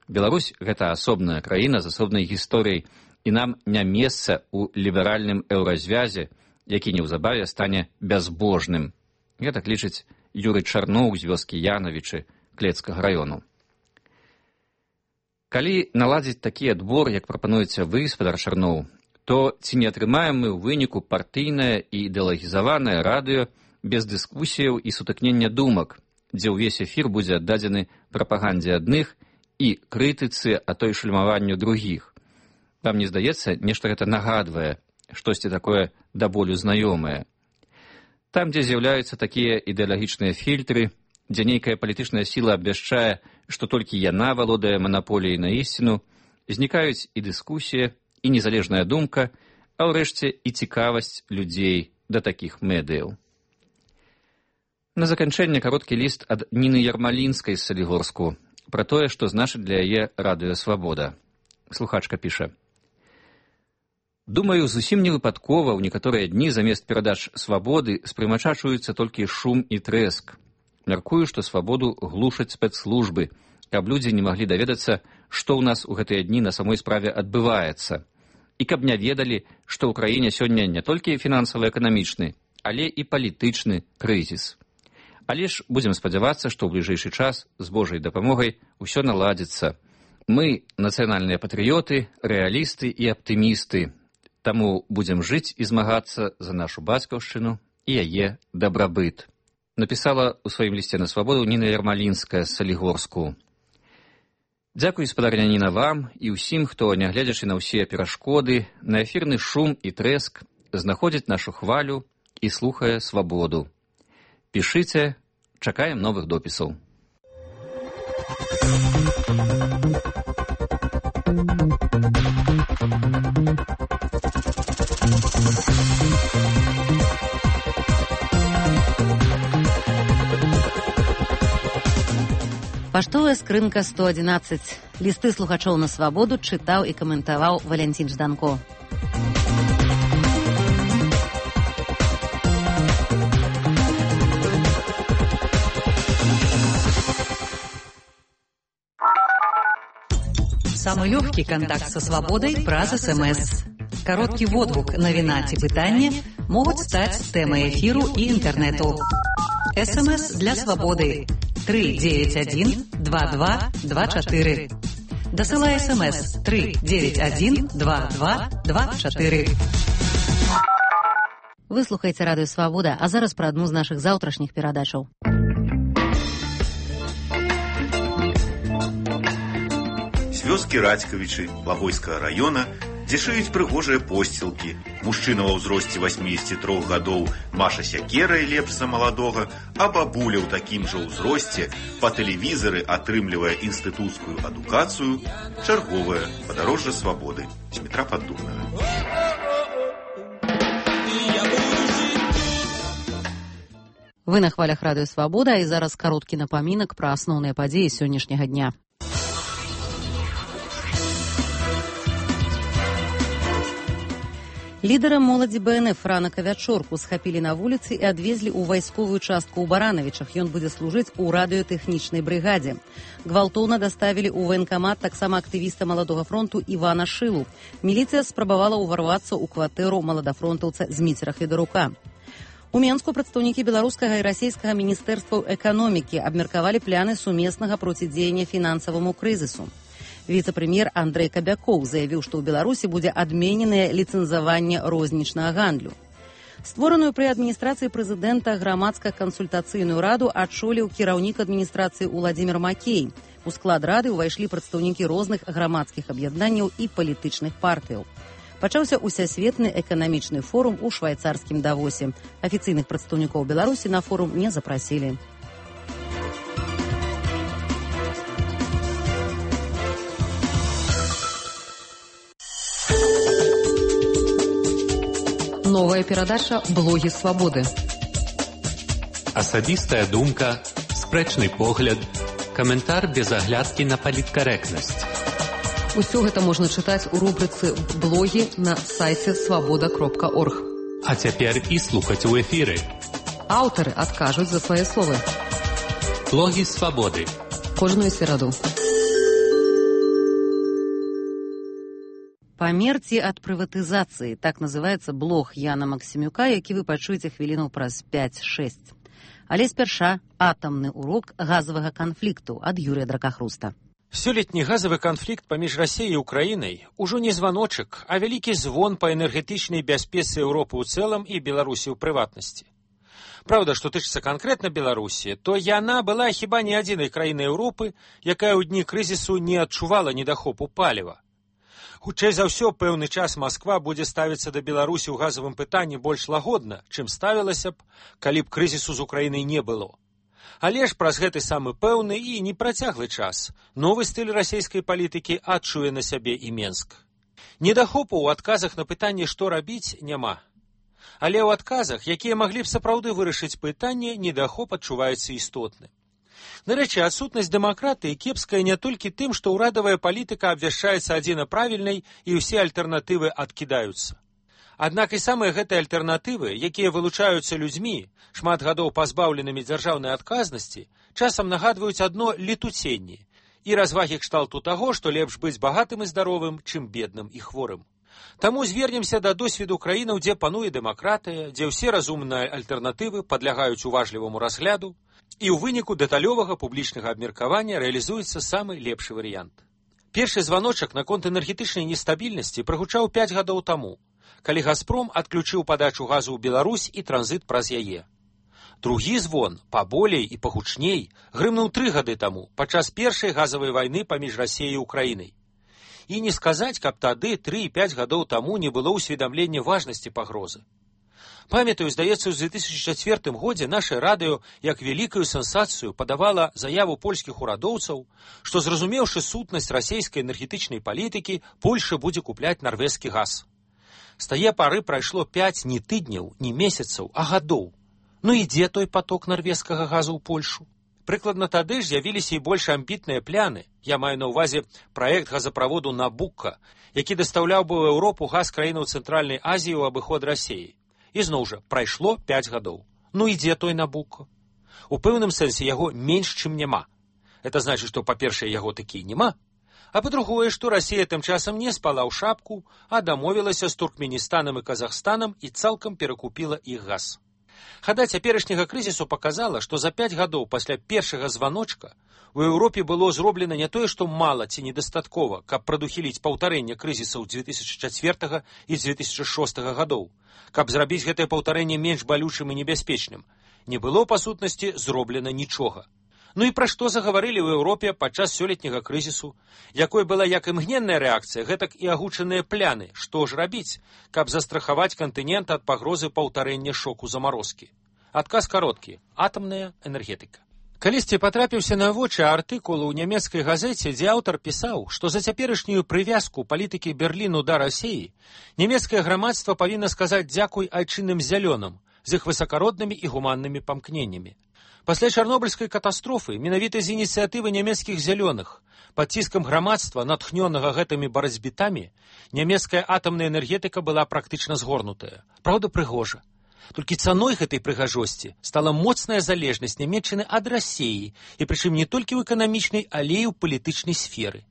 Беларусь – гэта асобная краіна з асобнай гісторыяй, і нам не месца ў ліберальным еўразвязе, які неўзабаве стане бязбожным. Гэтак лічыць Юрый Чарноў з вёскі Янавічы Клецкага раёну. Калі наладзіць такі адбор, як прапануеце вы, спадар Чарноў, то ці не атрымаем мы ў выніку партыйнае і ідэалагізаванае радыё без дыскусіяў і сутыкнення думак, дзе ўвесь эфір будзе аддадзены прапагандзе адных і крытыцы, а то і шальмаванню другіх. Вам не здаецца, нешта гэта нагадвае, штосьці такое да болю знаёмае. Там, дзе з'яўляюцца такія ідэалагічныя фільтры, дзе нейкая палітычная сіла абвяшчае, што толькі яна валодае манаполіяй на ісціну, знікаюць і дыскусія, і незалежная думка, а ўрэшце і цікавасць людзей да такіх медыяў. На заканчэнне кароткі ліст ад Ніны Ярмалінскай з Салігорску пра тое, што значыць для яе Радыё Свабода. Слухачка піша: Думаю, зусім не выпадкова ў некаторыя дні замест перадач свабоды спрымачачваюцца толькі шум і трэск. Мяркую, што свабоду глушаць спецслужбы, каб людзі не маглі даведацца, што ў нас у гэтыя дні на самой справе адбываецца. І каб не ведалі, што ў краіне сёння не толькі фінансава-эканамічны, але і палітычны крызіс. Але ж будзем спадзявацца, што ў бліжэйшы час з Божай дапамогай усё наладзіцца. Мы нацыянальныя патрыёты, рэалісты і аптымісты. Таму будзем жыць і змагацца за нашу бацькаўшчыну і яе дабрабыт. Напісала ў сваім лісце на свабоду Ніна Ярмалінская з Салігорску. Дзякуй, спадарня Ніна, вам і ўсім, хто, нягледзячы на ўсе перашкоды, на эфірны шум і трэск, знаходзіць нашу хвалю і слухае свабоду. Пішыце, чакаем новых допісаў. Паштовая скрынка сто адзінаццаць. Лісты слухачоў на свабоду чытаў і каментаваў Валянцін Жданко. Самый легкий контакт со свободой праз СМС. Короткий водгук, навіна ці пытанне могуць стаць тэмай эфіру і інтэрнэту. СМС для свободы. три девять один два два два четыре. Досылай СМС три девять один два два два четыре. Вы слухаеце радыё Свабода, а зараз пра адну з нашых заўтрашніх перадачаў. Вёскі Радзькавічы Лагойскага раёна, дзе шыюць прыгожыя посцілкі. Мужчына ва ўзросце васьмідзесяці трох гадоў маша сякерай лепш за маладога, а бабуля ў такім жа ўзросце па тэлевізары атрымлівае інстытуцкую адукацыю. Чарговае падарожжа свабоды з метра Паддубнага. Вы на хвалях радыё Свабода, і зараз кароткі напамінак пра асноўныя падзеі сённяшняга дня. Лідара моладзі БНФ Франака Вячорку схапілі на вуліцы і адвезлі ў вайсковую частку ў Баранавічах. Ён будзе служыць у радыётэхнічнай брыгадзе. Гвалтоўна даставілі ў ваенкамат таксама актывіста Маладога фронту Івана Шылу. Міліцыя спрабавала ўварвацца ў кватэру маладафронтаўца Зміцера Федарука. У Менску прадстаўнікі беларускага і расійскага міністэрстваў эканомікі абмеркавалі пляны сумеснага процідзеяння фінансаваму крызісу. Віцэ-прэм'ер Андрэй Кабякоў заявіў, што ў Беларусі будзе адмененае ліцэнзаванне рознічнага гандлю. Створаную пры адміністрацыі прэзідэнта грамадска-кансультацыйную раду адчоліў кіраўнік адміністрацыі Уладзімір Макей. У склад рады ўвайшлі прадстаўнікі розных грамадскіх аб'яднанняў і палітычных партыяў. Пачаўся усесветны эканамічны форум у швайцарскім Давосе. Афіцыйных прадстаўнікоў Беларусі на форум не запрасілі. Новая перадача «Блогі свабоды». Асабістая думка, спрэчны погляд, каментар без аглядкі на паліткарэктнасць. Усё гэта можна чытаць у рубрыцы «Блогі» на сайце свабода кропка орг. А цяпер і слухаць у эфіры. Аўтары адкажуць за свае словы. Блогі свабоды. Кожную сераду. Памерці ад прыватызацыі. Так называецца блог Яна Максімюка, які вы пачуеце хвілінаў праз пяць-шэсць. Але спярша атамны урок газавага канфлікту ад Юрыя Дракахруста. Сёлетні газавы канфлікт паміж Расіяй і Украінай ужо не званочак, а вялікі звон па энергетычнай бяспецы Еўропы ў цэлым і Беларусі ў прыватнасці. Праўда, што тычыцца канкрэтна Беларусі, то яна была хіба не адзінай краінай Еўропы, якая ў дні крызісу не адчувала недахопу паліва. Хутчэй за ўсё, пэўны час Масква будзе ставіцца да Беларусі ў газавым пытанні больш лагодна, чым ставілася б, калі б крызісу з Украінай не было. Але ж праз гэты самы пэўны і непрацяглы час новы стыль расійскай палітыкі адчуе на сябе і Менск. Недахопу ў адказах на пытанне, што рабіць, няма. Але ў адказах, якія маглі б сапраўды вырашыць пытанне, недахоп адчуваецца істотны. Нарэчы, адсутнасць дэмакратыі кепская не толькі тым, што ўрадавая палітыка абвяшчаецца адзіна правільнай і ўсе альтэрнатывы адкідаюцца. Аднак і самыя гэтыя альтэрнатывы, якія вылучаюцца людзьмі, шмат гадоў пазбаўленымі дзяржаўнай адказнасці, часам нагадваюць адно летуценне і развагі кшталту таго, што лепш быць багатым і здаровым, чым бедным і хворым. Таму звернемся да досведу краінаў, дзе пануе дэмакратыя, дзе ўсе разумныя альтэрнатывы падлягаюць уважліваму разгляду, і ў выніку дэталёвага публічнага абмеркавання рэалізуецца самы лепшы варыянт. Першы званочак наконт энергетычнай нестабільнасці прагучаў пяць гадоў таму, калі «Газпром» адключыў падачу газу ў Беларусь і транзіт праз яе. Другі звон, паболей і пагучней, грымнуў тры гады таму, падчас першай газавай вайны паміж Расіяй і Украінай. І не сказаць, каб тады тры і пяць гадоў таму не было ўсведамлення важнасці пагрозы. Памятаю, здаецца, у две тысячи чацвёртым годзе наша радыё як вялікую сенсацыю падавала заяву польскіх урадоўцаў, што, зразумеўшы сутнасць расійскай энергетычнай палітыкі, Польша будзе купляць нарвежскі газ. З тае пары прайшло пяць не тыдняў, не месяцаў, а гадоў. Ну і дзе той поток нарвежскага газу ў Польшу? Прыкладна тады ж з'явіліся і больш амбітныя пляны, я маю на ўвазе праект газаправоду «Набукка», які дастаўляў бы ў Еўропу газ краінаў Цэнтральнай Азіі ў абыход Расіі. І зноў жа, прайшло пяць гадоў. Ну і дзе той «Набукка»? У пэўным сэнсе яго менш, чым няма. Это значыць, што, па-першае, яго такі няма, а па-другое, што Расія тым часам не спала ў шапку, а дамовілася з Туркменістанам і Казахстанам і цалкам перакупіла іх газ. Хада цяперашняга крызісу паказала, што за пяць гадоў пасля першага званочка у Еўропе было зроблена не тое, што мала ці недастаткова, каб прадухіліць паўтарэнне крызісаў две тысячи чацвёртага і две тысячи шостага гадоў, каб зрабіць гэтае паўтарэнне менш балючым і небяспечным. Не было, па сутнасці, зроблена нічога. Ну і пра што загаварылі ў Еўропе падчас сёлетняга крызісу, якой была як імгненная рэакцыя, гэтак і агучаныя пляны, што ж рабіць, каб застрахаваць кантынент ад пагрозы паўтарэння шоку замарозкі. Адказ кароткі – атамная энергетыка. Калісьці патрапіўся на вочы артыкул у нямецкай газеце, дзе аўтар пісаў, што за цяперашнюю прывязку палітыкі Берліну да Расіі нямецкае грамадства павінна сказаць дзякуй айчынным зялёным з іх высакароднымі і гуманнымі памкненнямі. Пасля чарнобыльскай катастрофы, менавіта з ініцыятывы нямецкіх зялёных, пад ціскам грамадства, натхнёнага гэтымі барацьбітамі, нямецкая атамная энергетыка была практычна згорнутая. Праўда, прыгожа. Толькі цаной гэтай прыгажосці стала моцная залежнасць Нямецчыны ад Расіі, і прычым не толькі ў эканамічнай, але і ў палітычнай сферы.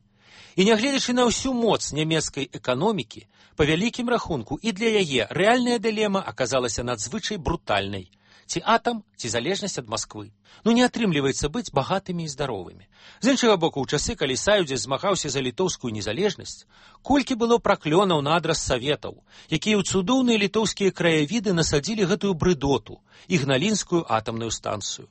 І нягледзячы на ўсю моц нямецкай эканомікі, па вялікім рахунку і для яе рэальная дылема аказалася надзвычай брутальнай. Ці атам, ці залежнасць ад Масквы. Ну не атрымліваецца быць багатымі і здаровымі. З іншага боку, у часы, калі Саюдзе змагаўся за літоўскую незалежнасць, колькі было праклёнаў на адрас саветаў, якія ў цудоўныя літоўскія краявіды насадзілі гэтую брыдоту, ігналінскую атамную станцыю.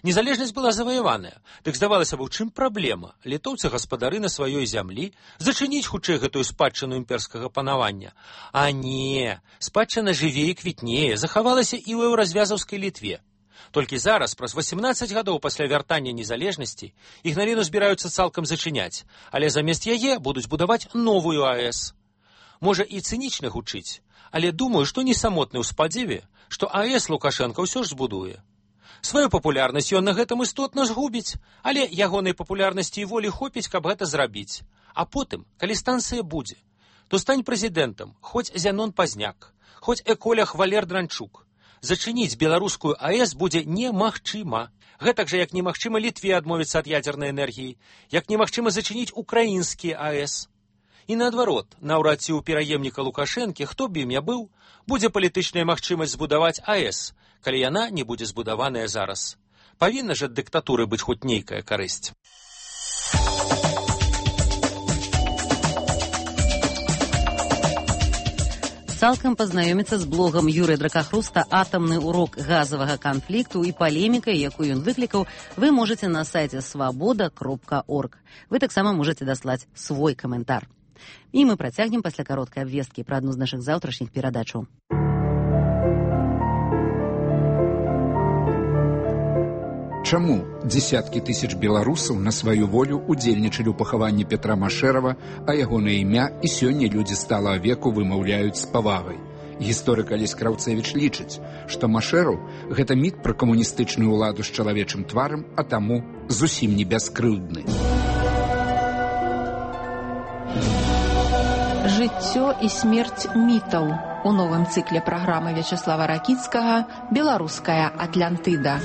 Незалежнасць была заваяваная, дык здавалася б, у чым праблема? Літоўцы гаспадары на сваёй зямлі, зачыніць хутчэй гэтую спадчыну імперскага панавання. А не, спадчына жыве і квітнее, захавалася і ў еўразвязаўскай Літве. Толькі зараз, праз васемнаццаць гадоў пасля вяртання незалежнасці, Ігналіну збіраюцца цалкам зачыняць, але замест яе будуць будаваць новую АЭС. Можа і цынічна гучыць, але думаю, што не самотны ў спадзеве, што АЭС Лукашенка ўсё ж збудуе. Сваю папулярнасць ён на гэтым істотна згубіць, але ягонай папулярнасці і волі хопіць, каб гэта зрабіць. А потым, калі станцыя будзе, то стань прэзідэнтам, хоць Зянон Пазняк, хоць эколях Валер Дранчук. Зачыніць беларускую АЭС будзе немагчыма. Гэтак жа, як немагчыма Літве адмовіцца ад ядзернай энергіі, як немагчыма зачыніць украінскія АЭС. І наадварот, наўрад ці ў пераемніка Лукашэнкі, хто б ім я быў, будзе палітычная магчымасць збудаваць АЭС, калі яна не будзе збудаваная зараз. Павінна ж ад дыктатуры быць хоць нейкая карысць. Цалкам пазнаёміцца з блогам Юрыя Дракахруста «Атамны урок газавага канфлікту» і палемікай, якую ён выклікаў, вы можаце на сайце свабода кропка орг. Вы таксама можаце даслаць свой каментар. І мы працягнем пасля кароткай абвесткі пра адну з нашых заўтрашніх перадачаў. Чаму дзесяткі тысяч беларусаў на сваю волю удзельнічалі ў пахаванні Петра Машэрава, а ягонае імя і сёння людзі сталага веку вымаўляюць з павагай? Гісторык Алесь Краўцевіч лічыць, што Машэру – гэта міт пра камуністычную ўладу з чалавечым тварам, а таму зусім не бяскрыўдны. Жыццё і смерць мітаў у новым цыкле праграмы Вячаслава Ракіцкага «Беларуская Атлантыда».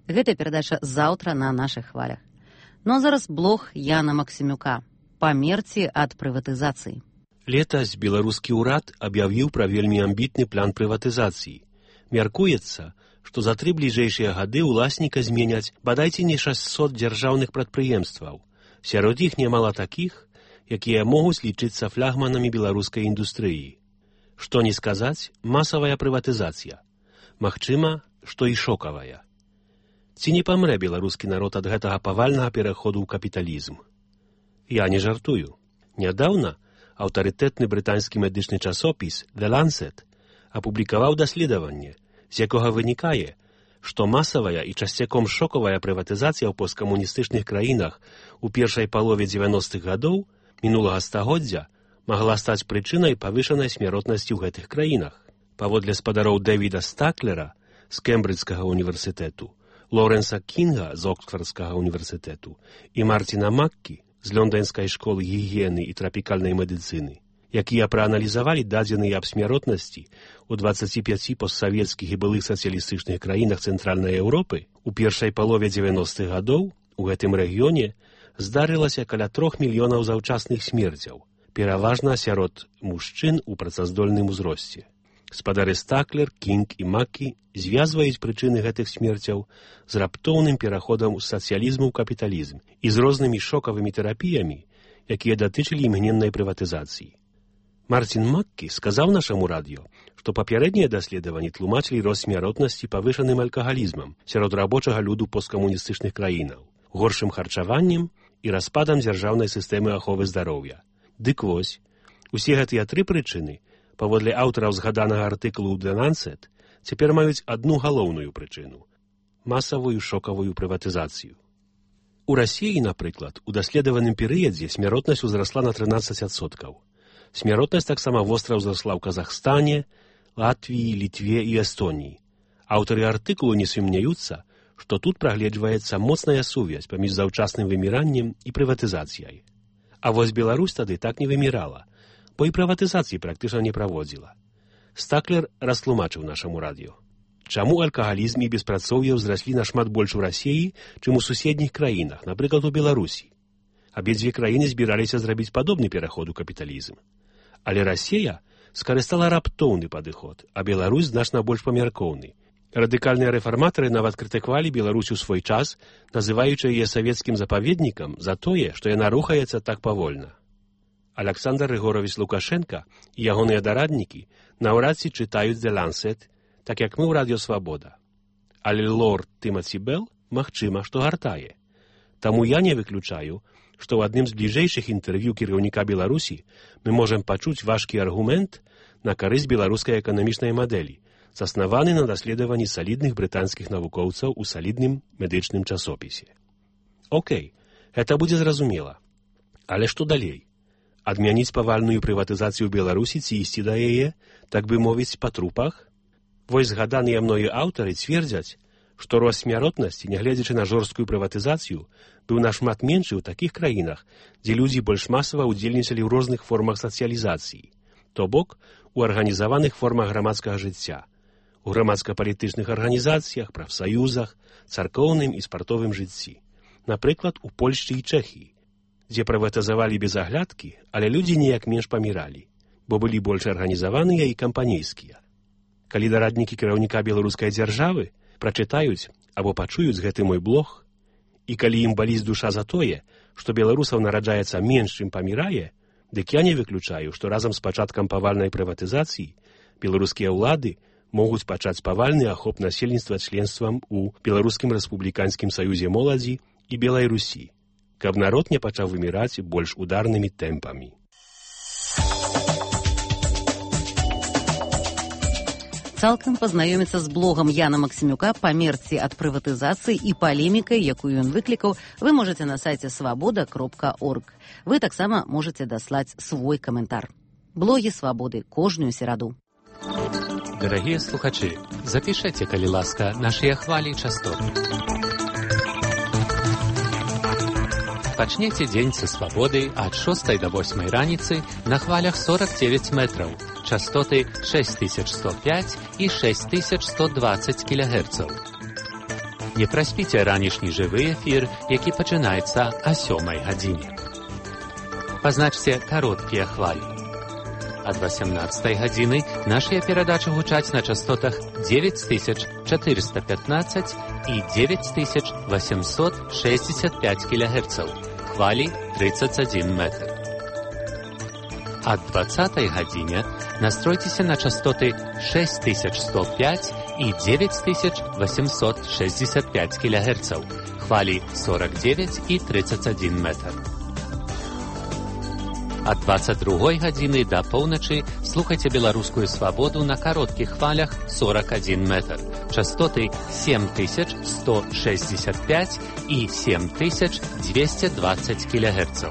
Гэта перадача заўтра на нашых хвалях. Ну а зараз блог Яна Максімюка. Памерці ад прыватызацыі. Летась беларускі ўрад аб'явіў пра вельмі амбітны план прыватызацыі. Мяркуецца, што за тры бліжэйшыя гады ўласніка зменяць бадайце не шэсцьсот дзяржаўных прадпрыемстваў. Сярод іх нямала такіх, якія могуць лічыцца флагманамі беларускай індустрыі. Што не сказаць, масавая прыватызацыя. Магчыма, што і шокавая. Ці не памрэ беларускі народ ад гэтага павальнага пераходу ў капіталізм? Я не жартую. Нядаўна аўтарытэтны брытанскі медычны часопіс The Lancet апублікаваў даследаванне, з якога вынікае, што масавая і часцяком шокавая прыватызацыя ў посткамуністычных краінах у першай палове дзевяностых гадоў мінулага стагоддзя магла стаць прычынай павышанай смяротнасці ў гэтых краінах. Паводле спадароў Дэвіда Стаклера з Кембриджскага універсітэту, Лоренса Кінга з Оксфордскага універсітэту і Марціна Маккі з лондонскай школы гігіены і трапікальнай медыцыны, якія прааналізавалі дадзеныя аб смяротнасці ў дваццаці пяці постсавецкіх і былых сацыялістычных краінах Цэнтральнай Еўропы, у першай палове дзевяностых гадоў у гэтым рэгіёне здарылася каля трох мільёнаў заўчасных смерцяў, пераважна сярод мужчын у працаздольным узросце. Спадары Стаклер, Кінг і Маккі звязваюць прычыны гэтых смерцяў з раптоўным пераходам з сацыялізму ў капіталізм і з рознымі шокавымі тэрапіямі, якія датычылі імгненнай прыватызацыі. Марцін Маккі сказаў нашаму радыё, што папярэднія даследаванні тлумачылі рост смяротнасці павышаным алкагалізмам сярод рабочага люду посткамуністычных краінаў, горшым харчаваннем і распадам дзяржаўнай сістэмы аховы здароўя. Дык вось, усе гэтыя тры прычыны паводле аўтараў згаданага артыкулу The Lancet, цяпер маюць адну галоўную прычыну – масавую шокавую прыватызацыю. У Расіі, напрыклад, у даследаваным перыядзе смяротнасць узрасла на трынаццаць адсоткаў. Смяротнасць таксама востра ўзрасла ў Казахстане, Латвіі, Літве і Эстоніі. Аўтары артыкулу не сумняюцца, што тут прагледжваецца моцная сувязь паміж заўчасным выміраннем і прыватызацыяй. А вось Беларусь тады так не вымірала, бо і прыватызацыі практычна не праводзіла. Стаклер растлумачыў нашаму радыё, чаму алкагалізм і беспрацоўе ўзраслі нашмат больш у Расіі, чым у суседніх краінах, напрыклад, у Беларусі. Абедзве краіны збіраліся зрабіць падобны пераход у капіталізм. Але Расія скарыстала раптоўны падыход, а Беларусь значна больш памяркоўны. Радыкальныя рэфарматары нават крытыкавалі Беларусь у свой час, называючы яе савецкім запаведнікам за тое, што яна рухаецца так павольна. Аляксандр Рыгорович Лукашенка і ягоныя дараднікі наўрад ці чытаюць The Lancet, так як мы ў радыё Свабода. Але лорд Тымаці Белл, магчыма, што гартае. Таму я не выключаю, што ў адным з бліжэйшых інтэрв'ю кіраўніка Беларусі мы можам пачуць важкі аргумент на карысць беларускай эканамічнай мадэлі, заснаваны на даследаванні салідных брытанскіх навукоўцаў у салідным медычным часопісе. Окей, гэта будзе зразумела. Але што далей? Адмяніць павальную прыватызацыю Беларусі ці ісці да яе, так бы мовіць, па трупах? Вось згаданыя мною аўтары цвердзяць, што рост смяротнасці, нягледзячы на жорсткую прыватызацыю, быў нашмат меншы ў такіх краінах, дзе людзі больш масава ўдзельнічалі ў розных формах сацыялізацыі, то бок у арганізаваных формах грамадскага жыцця, у грамадска-палітычных арганізацыях, прафсаюзах, царкоўным і спартовым жыцці, напрыклад, у Польшчы і Чэхіі, дзе прыватызавалі без аглядкі, але людзі неяк менш паміралі, бо былі больш арганізаваныя і кампанейскія. Калі дараднікі кіраўніка беларускай дзяржавы прачытаюць або пачуюць гэты мой блог, і калі ім баліць душа за тое, што беларусаў нараджаецца менш, чым памірае, дык я не выключаю, што разам з пачаткам павальнай прыватызацыі беларускія ўлады могуць пачаць павальны ахоп насельніцтва членствам у Беларускім рэспубліканскім саюзе моладзі і Белай Русі, каб народ не пачаў выміраць больш ударнымі тэмпамі. Цалкам пазнаёміцца з блогам Яна Максімюка «Памерці ад прыватызацыі» і палемікай, якую ён выклікаў, вы можаце на сайце свабода кропка орг. Вы таксама можаце даслаць свой каментар. Блогі «Свабоды» кожную сераду. Дарагія слухачы, запішайце, калі ласка, нашыя хвалі і частоты. Пачнеце дзень са свабоды ад шостай да восьмай раніцы на хвалях сорок девять метраў, частоты шесть тысяч сто пять і шесть тысяч сто двадцать кілогерцаў. Не праспіце ранішні жывы эфір, які пачынаецца о сёмай гадзіне. Пазначце кароткія хвалі. Ад восемнадцатай гадзіны нашыя перадачы гучаць на частотах девять тысяч четыреста пятнадцать і девять тысяч восемьсот шестьдесят пять кілогерцаў, хвалі тридцать один метр. Ад двадцатай гадзіне настройцеся на частоты шесть тысяч сто пять і девять тысяч восемьсот шестьдесят пять кілогерцаў, хвалі сорок девять і тридцать один метр. Ад двадцать другой гадзіны да поўначы слухайце беларускую свабоду на кароткіх хвалях сорок один метр, частоты семь тысяч сто шестьдесят пять і семь тысяч двести двадцать кілогерцаў.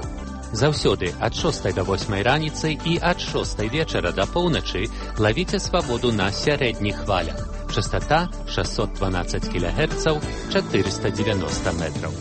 Заўсёды ад шостай да восьмай раніцы і ад шостай вечара да поўначы лавіце свабоду на сярэдніх хвалях. Частота шестьсот двенадцать кілогерцаў, четыреста девяносто метров.